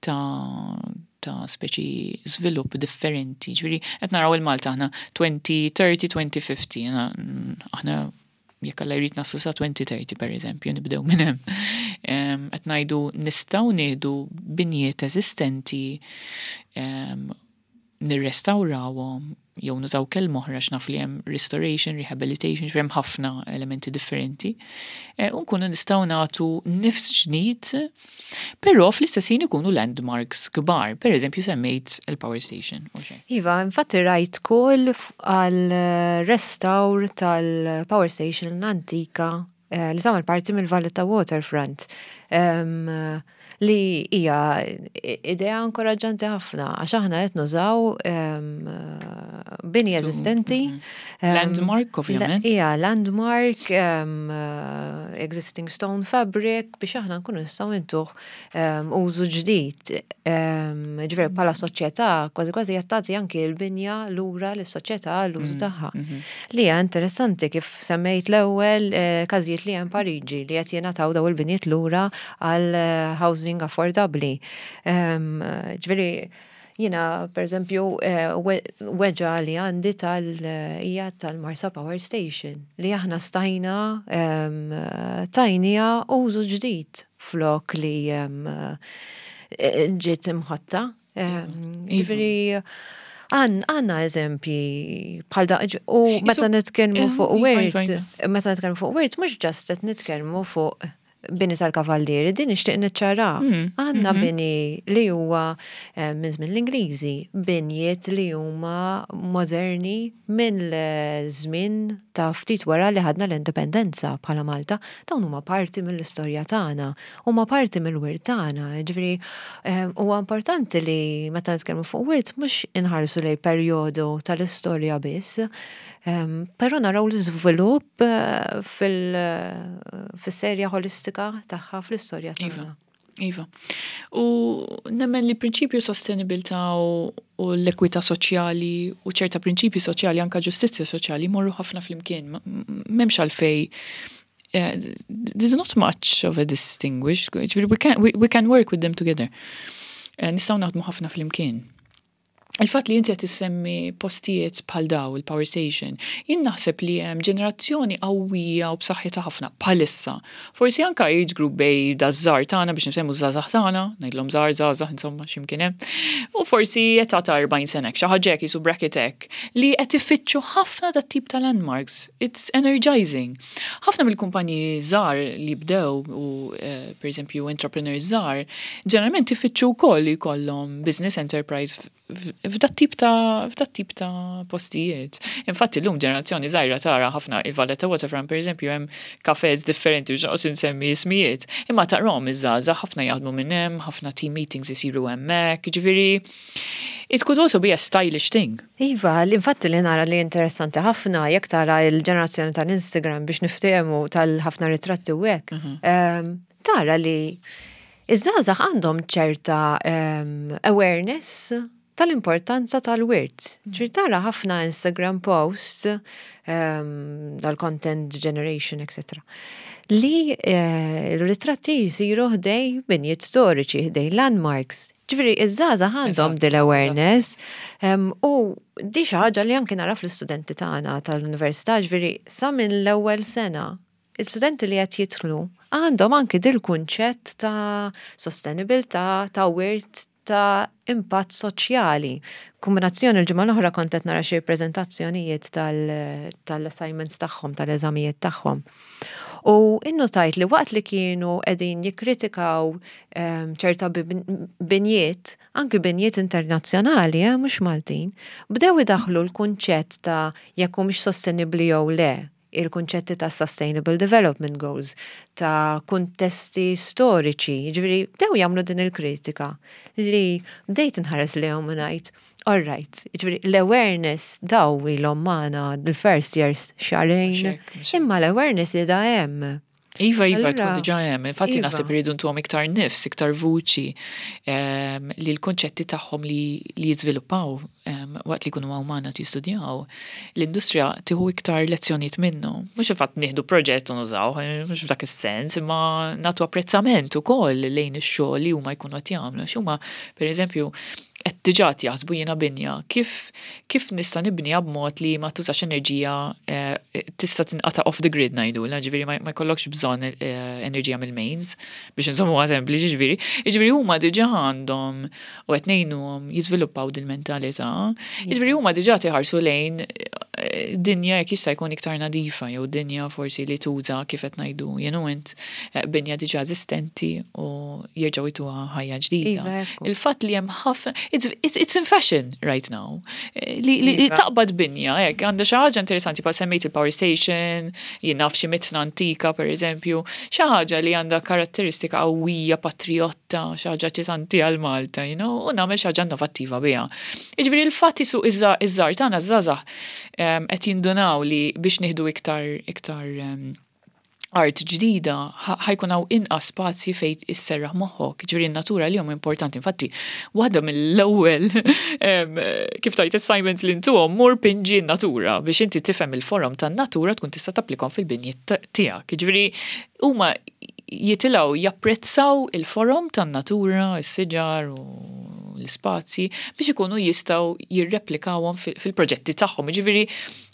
S1: ta' ta' speċi żvilupp differenti. Ġifieri, qed naraw il-Malta aħna elfejn u tletin, elfejn u ħamsin, aħna jekk Alla jrid naslu sa elfejn u tletin, per eżempju, nibdew minn hemm. Qed ngħidu nistgħu nieħdu binjiet eżistenti, nirrestawrawhom jew nużaw kelma oħra, x'naf li hemm restoration, rehabilitation, hemm ħafna elementi differenti. E, u nkunu nistgħu nagħtu nifs ġdid, però fl-istess ħin ikunu landmarks kbar. Per eżempju, semmejt il-power station.
S2: Iva, infatti rajt call għal restawr tal-power station l-antika eh, li tagħmel parti mill-Valletta Waterfront. Um, li hija idea inkoraġġanti ħafna għax aħna qed nużaw bini eżistenti.
S1: Mhm. Landmark, ovvjament.
S2: Hija landmark, existing stone fabric, biex aħna nkunu nistgħu ntuh użu ġdid. Ġifieri bħala soċjetà kważi kważi qed tagħti anki l-binja lura lis-soċjetà l-użu mhm, tagħha. Mhm. Li hija interessanti, kif semmejt l-ewwel eh, każijiet li hemm Pariġi li qed jingħataw daw il-binjiet lura għal eh, housing affordabbli. Ġifieri, jiena, per eżempju, eh, weġgħa li għandi tal- hija tal-Marsa Power Station li aħna stajna tajnieha użu ġdid flok li ġiet imħatta. Ġifieri, għandna eżempji bħal da, u meta nitkellmu fuq wirt, meta nitkellmu fuq wirt, mhux just qed nitkellmu fuq bini tal-kavallieri, din nixtieq niċċara. Hmm. Għandna mhm. bini li huwa eh, minn żmien l-Ingliżi, binjiet li huma moderni minn żmien ta' ftit wara li ħadna l-indipendenza bħala Malta, dawn huma parti mill-istorja tagħna, huma parti mill-wirt tagħna. Ġifieri eh, huwa importanti li meta nitkellmu fuq wirt mhux inħarsu lejn perjodu tal-istorja biss, però naraw l-iżvilupp eh, fil-serja ħolistika tagħha fl-istorja
S1: Iva. tagħna. Iva. U nemmen li prinċipju sostenibilità u u l-ekwità soċjali u ċerta prinċipji soċjali, anka ġustizzja soċjali, morru ħafna flimkien. M'hemmx għalfej eh, there's not much of a distinguish. Ġifieri, We can, we, we can work with them together. Eh, Nistgħu naħdmu ħafna flimkien. Il-fatt li inti qed issemmi postijiet bħal daw il-power station, jien naħseb li hemm ġenerazzjoni qawwija u b'saħħitha ħafna bħalissa. Forsi anka age group bejn daż-żgħar tagħna, biex nsemmu żgħażagħ tagħna, ngħidlhom żgħar żgħażagħ, insomma, x'imkien hemm. U forsi età ta' erbgħin sena, xi ħaġa hekk, jisu bracket hekk, li qed ifittxu ħafna dat tip ta' landmarks. It's energizing. Ħafna mill-kumpaniji żgħar li bdew u eh, per eżempju entrepreneurs żgħar, ġeneralment ifittxu wkoll li jkollhom business enterprise f'dat tip ta' f'dat tip ta' postijiet. Infatti llum ġenerazzjoni żgħira tara ħafna il-Valletta Waterfront, per eżempju, hemm cafes differenti biex noqgħod insemmi ismijiet. Imma tarahom iż-żgħażagħ ħafna jaħdmu minn hemm, ħafna team meetings isiru hemmhekk, ġifieri it could also be a stylish thing.
S2: Iva, l-infatti li nara li interessanti ħafna, jekk tara il-ġenerazzjoni tal-Instagram, biex niftehmu, tal-ħafna ritratti u hekk, em, tara li iż-żgħażagħ għandhom ċerta em, awareness tal-importanza tal-wirt. Ġifieri tara ħafna Instagram posts, um, dal-content generation, et cetera. Li eh, il-ritratti jisiru ħdejn binjiet storiċi, ħdejn landmarks. Ġifieri, iż-żgħażagħ għandhom
S1: Eżatt,
S2: dil-awareness um, u di xi ħaġa li anki nara fl-istudenti tagħna tal-università, ġifieri sa minn l-ewwel sena il-studenti li qed jidħlu għandhom anki dil-kunċett ta' sostenibilità, ta' wirt, ta' impatt soċjali. Kombinazzjoni, l-ġimgħa l-oħra kont qed nara xi preżentazzjonijiet tal- tal-assignments tagħhom, tal-eżamijiet tagħhom. U innotajt li waqt li kienu qegħdin jikkritikaw em, ċerta bib- binjiet, anki binjiet internazzjonali, eh, mhux Maltin, bdew idaħlu l-kunċett ta' jekk humiex sostenibbli jew le, il-kunċetti ta' Sustainable Development Goals, ta' kuntesti storiċi, ġifieri bdew jagħmlu din il-kritika li bdejt nħares li u ngħid, all right, ġifieri l-awareness daw ilhom magħna l-first years xahrejn,
S1: Mhux hekk, mhux hekk.
S2: imma l-awareness li da hemm.
S1: Iva, iva, tkun diġà hemm. Infatti iva. Naħseb iridu ntuhom iktar nifs, iktar vuċi li l-konċetti tagħhom li li jiżviluppaw waqt li jkunu hawn magħna jistudjaw, l-industrija tieħu iktar lezzjonijiet minnu. Mhux il-fatt nieħdu proġett u nużaw, mhux f'dak is-sens, imma nagħtu apprezzament ukoll lejn ix-xogħol li huma jkunu qed jagħmlu. Huma, pereżempju, qed diġà jaħsbu jiena binja, kif kif nista' nibniha b'mod li ma tużax enerġija, eh, tista' tinqata' off the grid ngħidu, ġifieri ma jkollokx bżonn eh, enerġija mill-mains biex insommu sempliċi ġifieri. Ġifieri huma diġà għandhom u qed ngħinuhom jiżviluppaw dil-mentalità. Ġifieri huma diġà iħarsu lejn eh, dinja jekk jista' jkun iktar nadifa jew dinja forsi li tuża, kif qed ngħidu jien u int, binja diġà eżistenti u jerġgħu jtuha ħajja ġdida.
S2: Iva,
S1: Il-fatt li hemm ħafna, it's, it's, it's in fashion right now. Eh, li, li iva. taqbad binja, hekk, għandha xi ħaġa interessanti, pa semmejt il-power station, jien naf xi mitna antika, per eżempju, xi ħaġa li għandha karatteristika qawwija, patriotta, xi ħaġa ċisanti għal Malta, you know, u nagħmel xi ħaġa innovattiva biha. Jiġifieri il-fatt isu iż-żgħar tagħna, żgħażagħ, qed jindunaw li biex nieħdu iktar iktar art ġdida ħa jkun hawn inqas spazji fejn isserraħ moħħok, ġifieri n-natura li huma importanti. Infatti, waħda mill-ewwel, kif tajt, assignments li ntuhom, mur pinġi n-natura biex inti tifhem il-forom tan-natura, tkun tista' tapplikhom fil-binjiet tiegħek. Ġifieri huma jitilgħu japprezzaw il-forom tan-natura, is-siġar u l-spazji biex ikunu jistgħu jirreplikawhom fil-proġetti tagħhom. Ġifieri,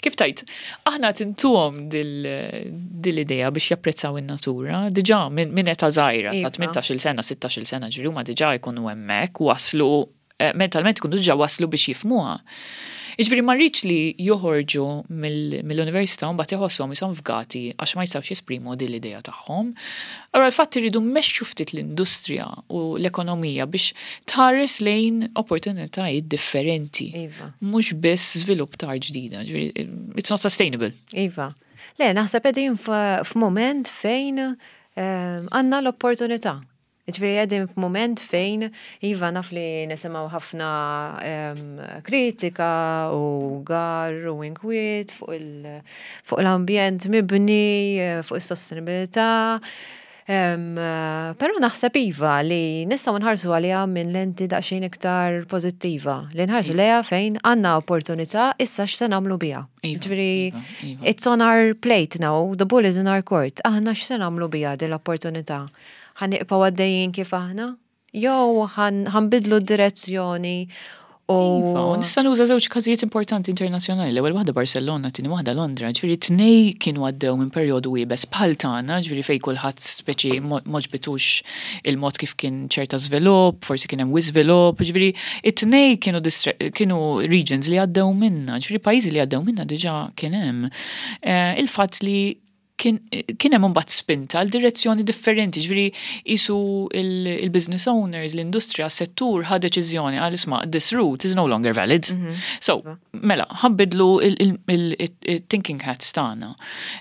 S1: kif tajt, aħna tintuhom dil-idea biex japprezzaw in-natura, diġà minn età żgħira ta' tmintax-il sena, sittax-il sena, ġifieri huma diġà jkunu hemmhekk waslu eh, mentalment ikunu diġà waslu biex jifhmuha. Iġifieri ma rridx li joħorġu mill-università u mbagħad iħossuhom ishom fgati għax ma jistgħux jesprimu din l-idea tagħhom. Allura l-fatt irridu mmexxu ftit l-industrija u l-ekonomija biex tħares lejn opportunitajiet differenti.
S2: Iva.
S1: Mhux biss żvilupp ta' ġdida. Ġifieri, it's not sustainable.
S2: Iva. Le, naħseb qegħdin f'moment fejn ehm, għandna l-opportunità. Ġifieri qegħdin f'moment fejn, iva, naf li nisimgħu ħafna em, kritika u gar u inkwiet fuq il- fuq l-ambjent mibni, eh, fuq is-sostenibilità. Em, eh, Però naħseb, iva, li nistgħu nħarsu għaliha minn lenti daqsxejn iktar pożittiva. Li nħarsu lejha fejn għandna opportunità, issa x'se nagħmlu biha.
S1: Iva,
S2: Ġifieri,
S1: iva, iva.
S2: it's on our plate now, the ball is in our court. Aħna x'se nagħmlu biha din l-opportunità? Ħa nibqgħu għaddejjin kif aħna? Jew ħa nbiddlu d-direzzjoni u
S1: Iva, u nista' nuża żewġ każijiet importanti internazzjonali. L-ewwel waħda Barcelona, tieni waħda Londra. Ġifieri tnej kienu għaddew minn perjodu iebes bħal tagħna, ġifieri fejn kulħadd speċi m'għoġbitux il-mod kif kien ċerta żvilupp, forsi kien hemm żvilupp, ġifieri it-tnej kienu distre- kienu regions li għaddew minna, ġifieri pajjiżi li għaddew minna diġà kien hemm. Eh, Il-fatt li kien kien hemm imbagħad spinta għal direzzjoni differenti, ġifieri isu il-business owners, l-industrija, s-settur ħa deċiżjoni għal isma', this route is no longer valid. So, mela, ħa nbiddlu il-thinking hats tagħna.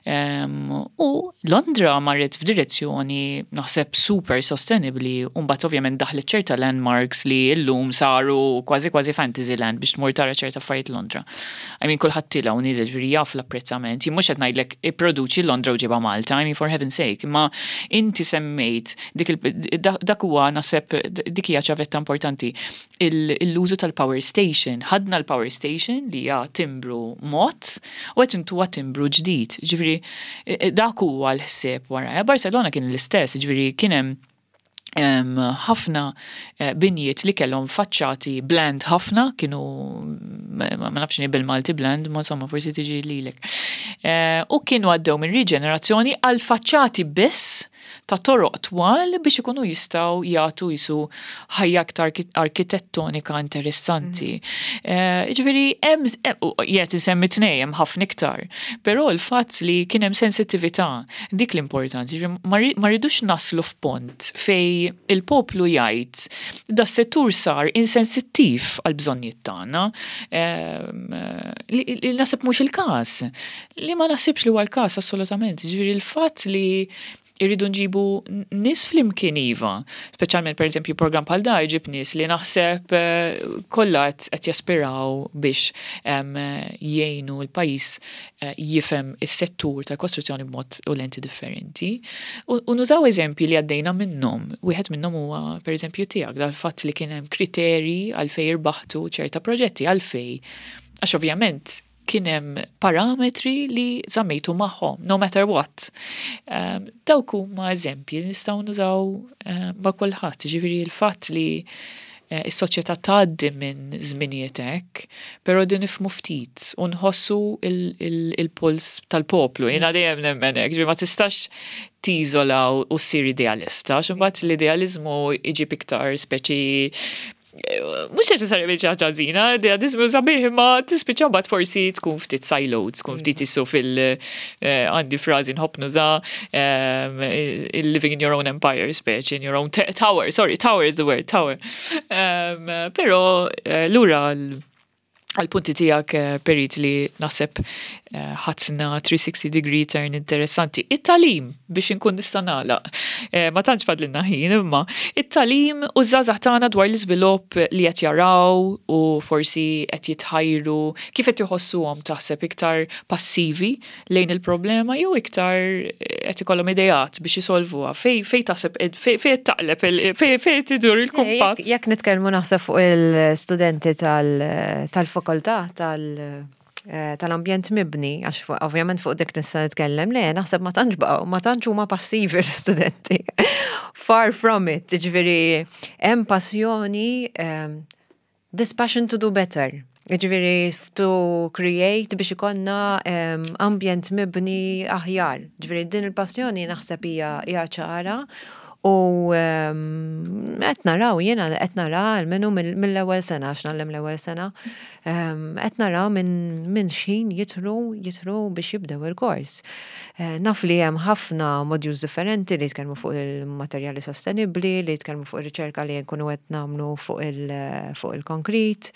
S1: Em, U Londra marret f'direzzjoni naħseb super sustainably u mbagħad ovvjament daħlet ċerta landmarks li llum saru kważi kważi fantasy land biex tmur tara ċerta affarijiet Londra. I mean, kulħadd tila u niżel, ġifieri jaf l-apprezzament. Jien mhux qed ngħidlek ipproduċi Londra u ġibha Malta, I mean, for heaven's sake, imma inti semmejt dik il- dak huwa naħseb dik hija ċavetta importanti, l-użu tal-power station. Ħadna l-power station li hija timbru mod u qed intuha timbru ġdid. Ġifieri dak huwa l-ħsieb wara. Barcelona kien l-istess, ġifieri kien hemm em, ħafna eh, binjiet li kellhom faċċati bland ħafna, kienu ma ma nafx bil-Malti bland, ma insomma forsi tiġi lilek. Eh, U kienu għaddew minn riġenerazzjoni għal faċċati biss ta' toroq twal biex ikunu jistgħu jagħtu jisu ħajja aktar arkitettonika interessanti. Eh, Ġifieri hemm jgħet insemmi tnej, hemm ħafna iktar. Però l-fatt li kien hemm sensittività, dik l-importanti, ġifieri ma ri- ma rridux naslu f'pont fej il-poplu jgħid da settur sar insensittiv għal bżonnijiet tagħna, ehm, li li naħseb mhux il-każ. Li ma naħsibx li huwa l-każ assolutament. Ġifieri l-fatt li Irridu nġibu nies flimkien iva, speċjalment, per eżempju, program bħal da jġib nies li naħseb eh, kollha qed jaspiraw biex jgħinu l-pajjiż eh, jifhem is-settur tal-kostruzzjoni b'mod u lenti differenti. U nużaw eżempji li għaddejna minnhom. Wieħed minnhom huwa, per eżempju, tiegħek, dal-fatt li kien hemm kriteri għalfejn irbaħtu ċerta proġetti, għalfejn. Għax ovvjament kien hemm parametri li żammejtu magħhom, no matter what. Um, dawk huma eżempji li nistgħu nużaw uh, ma' kulħadd, ġifieri l-fatt li uh, is-soċjetà tgħaddi minn żminijiet hekk, però din nifhmu ftit u nħossu il-puls tal-poplu. Jiena dejjem nemmen hekk, ġifieri ma tistax tiżola u ssir idealista, għax imbagħad l-idealizmu iġib iktar speċi mhux neċessarjament xi ħaġa ħażina, idealizmu sabiħ, imma tispiċċa mbagħad forsi tkun ftit siloed, tkun ftit issu fil- eh, għandi frażi nħobb nuża, "living in your own empire", speċi in your own tower, sorry, tower is the word, tower. Però eh, lura għal-punti tiegħek, eh, Perit, li naħseb eh, ħadna three sixty degree turn interessanti. It-tagħlim, biex inkun nista' nagħlaq. Eh, ma tantx fadlilna ħin, imma it-tagħlim u żgħażagħ tagħna dwar l-iżvilupp li qed jaraw u forsi qed jitħajru, kif qed iħossuhom, taħseb iktar passivi lejn il-problema jew iktar qed ikollhom ideat biex isolvuha? Fej fej taħseb fej fej taqleb, fej fej tidur il-kumpass?
S2: Jekk nitkellmu, naħseb, fuq il-studenti tal-fakoltà tal eh, tal-ambjent mibni, għax ovvjament fuq dik nista' nitkellem, le, naħseb ma tantx baqgħu, ma tantx huma passivi l-studenti. Far from it, ġifieri hemm passjoni, um, this passion to do better. Ġifieri to create biex ikollna um, ambjent mibni aħjar. Ġifieri din il-passjoni naħseb hija ċara. U qed naraw, jiena qed nara almenu mill-ewwel sena, għax ngħallem l-ewwel sena, qed naraw minn minn xħin jidħlu jidħlu biex jibdew il-kors. Eh, naf li hemm ħafna modules differenti li jitkellmu fuq il-materjali sostenibbli, li jitkellmu fuq ir-riċerka li nkunu qed nagħmlu fuq il-konkrit,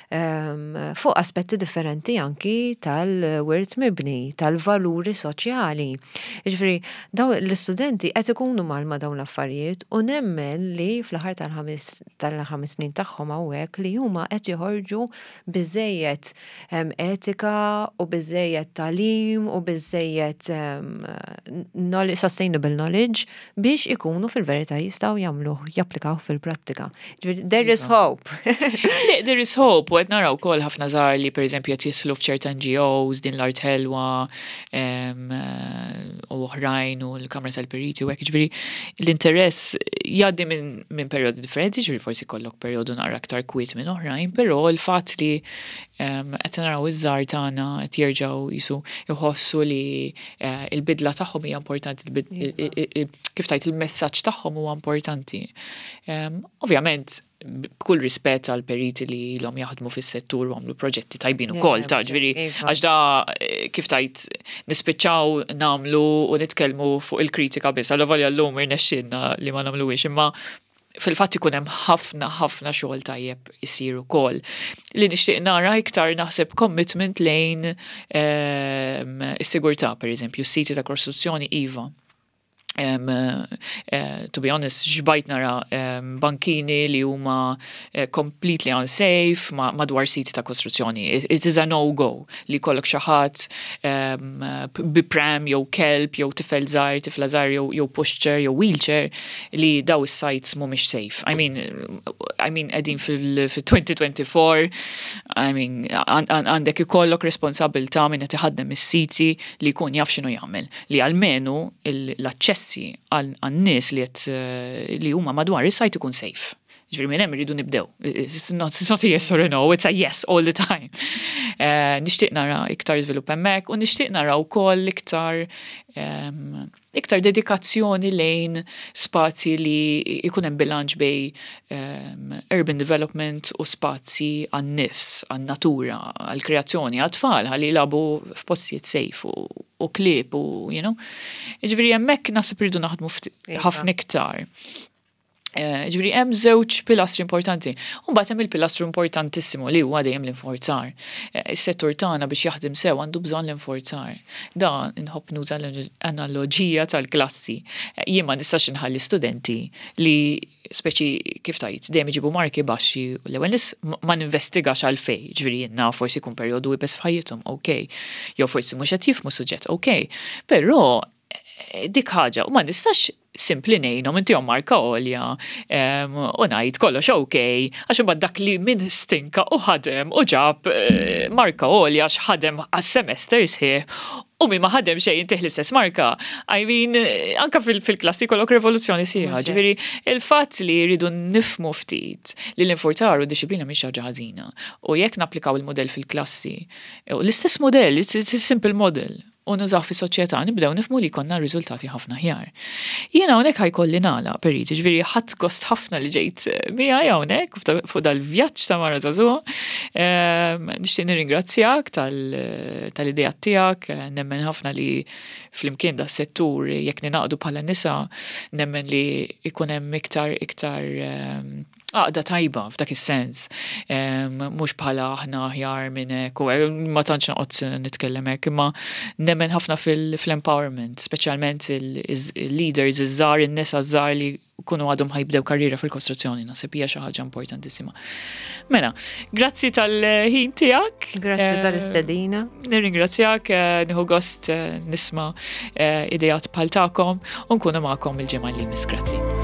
S2: fuq aspetti differenti anki tal-wirt mibni, tal-valuri soċjali. Jiġifieri daw l-istudenti qed ikunu mal ma' dawn l-affarijiet u nemmen li fl-aħħar tal-ħames tal-ħames snin tagħhom hawnhekk li huma qed joħorġu biżejjed etika u biżejjed tagħlim u biżejjed sustainable knowledge biex ikunu fil-verità jistgħu jagħmluh, japplikaw fil-prattika. There is iva. hope.
S1: There is hope, u qed naraw ukoll ħafna żgħar li, pereżempju, qed jidħlu f'ċerta N G Os, Din l-Art Ħelwa u oħrajn u l-Kamra tal-Periti u hekk, ġifieri l-interess jgħaddi minn min perjodi differenti, ġifieri forsi kollok perjodu naqra aktar kwiet minn oħrajn, però l-fatt li qed naraw iż-żgħar tagħna qed jerġgħu jisu jħossu li eh, il-bidla tagħhom hija importanti, kif tajt, il-messaġġ tagħhom huwa importanti. Ovvjament, b'kull rispett għal periti li l-om jaħdmu fis-settur u għamlu proġetti tajbin ukoll, ta' ġifieri, iva. għax da eh, kif tajt, nispiċċaw nagħmlu u nitkellmu fuq il-kritika biss, għallu volja l-lum irnexxinna li ma nagħmluhiex, imma fil-fatt ikun hemm ħafna ħafna xogħol tajjeb isir ukoll. Li nixtieq nara iktar, naħseb, commitment lejn ehm, is-sigurtà, pereżempju, s-siti ta' kostruzzjoni iva. Um, uh, to be honest, xbajt nara um, bankini li huma uh, completely unsafe ma madwar siti ta' kostruzzjoni. It, it is a no-go li kollok xi ħadd um, bi pram jew kelb jew tifel żgħir, tifla żgħir jew, jew pushchair jew wheelchair, li daw is-sites mhumiex safe. I mean, I mean qegħdin fil-elfejn u erbgħa u għoxrin, I mean, għandek ikollok responsabilità minn qed iħaddem is-siti li jkun jaf x'inhu jagħmel, li almenu l-aċċess l-interessi għan-nies li qed eh, li huma madwar is-sajt ikun safe. Ġifieri minn hemm irridu nibdew. It's not, it's not a yes or a no, it's a yes all the time. Uh, nixtieq nara iktar żvilupp hemmhekk u nixtieq nara wkoll iktar um, iktar dedikazzjoni lejn spazji li jkun hemm bilanċ bejn um, urban development u spazji għan-nifs, għan-natura, għall-kreazzjoni, għat-tfal, ħalli jilagħbu f'postijiet safe u, u klieb u, you know. Ġifieri hemmhekk naħseb irridu naħdmu iva. ħafna iktar. Eh, ġifieri hemm żewġ pilastri importanti. U mbagħad hemm il-pilastru importantissimu li huwa dejjem l-inforzar. Eh, is-settur tagħna biex jaħdem sew għandu bżonn l-inforzar. Da nħobb nuża l-analogija tal-klassi. Eh, jien ma nistax inħalli studenti li speċi, kif tgħid, dejjem iġibu marki baxxi u l-ewwel nis ma ninvestigax għalfejn, ġifieri jien forsi jkun perjodu iebes f'ħajjithom, ok. Jew forsi mhux qed jifhmu suġġett, ok. Però dik ħaġa, u ma nistax simpli ngħinhom intihom marka għolja u ngħid kollox ok, għax imbagħad dak li min stinka u ħadem u ġab eh, marka għolja għax ħadem għas-semester sħiħ u min ma ħadem xejn intih l-istess marka. I mean, anka fil-klassi kollok rivoluzzjoni sħiħa. Ġifieri, il-fatt li rridu nifhmu ftit li l-infurzar u dixxiplina mhix ħaġa ħażina. U jekk napplikaw il-modell fil-klassi, l-istess modell, it's a simple model, u nużaw fi soċjetà, nibdew nifhmu li jkollna riżultati ħafna aħjar. Jiena hawnhekk ħa jkolli nagħlaq, Perit, ġifieri ħadt gost ħafna li ġejt miegħi hawnhekk fuq dal-vjaġġ ta' mara żagħżugħa. Ehm, nixtieq nirringrazzjak tal-idea tiegħek, nemmen ħafna li flimkien da settur jekk ningħaqdu bħala nisa, nemmen li ikun hemm iktar iktar ehm, għaqda tajba f'dak is-sens. Mhux bħala aħna aħjar minn hekk, ma tantx noqgħod nitkellem hekk, imma nemmen ħafna fil-empowerment, speċjalment il-leaders iż-żgħar, in-nisa żgħar li kunu għadhom ħa jibdew karriera fil-kostruzzjoni, naħseb hija xi ħaġa importantissima. Mela, grazzi tal-ħin tiegħek.
S2: Grazzi eh, tal-istedina.
S1: Nirringrazzjak, eh, nieħu gost eh, nisma' ideat bħal tagħkom u nkunu magħkom il-ġimgħa li jmiss. Grazzi.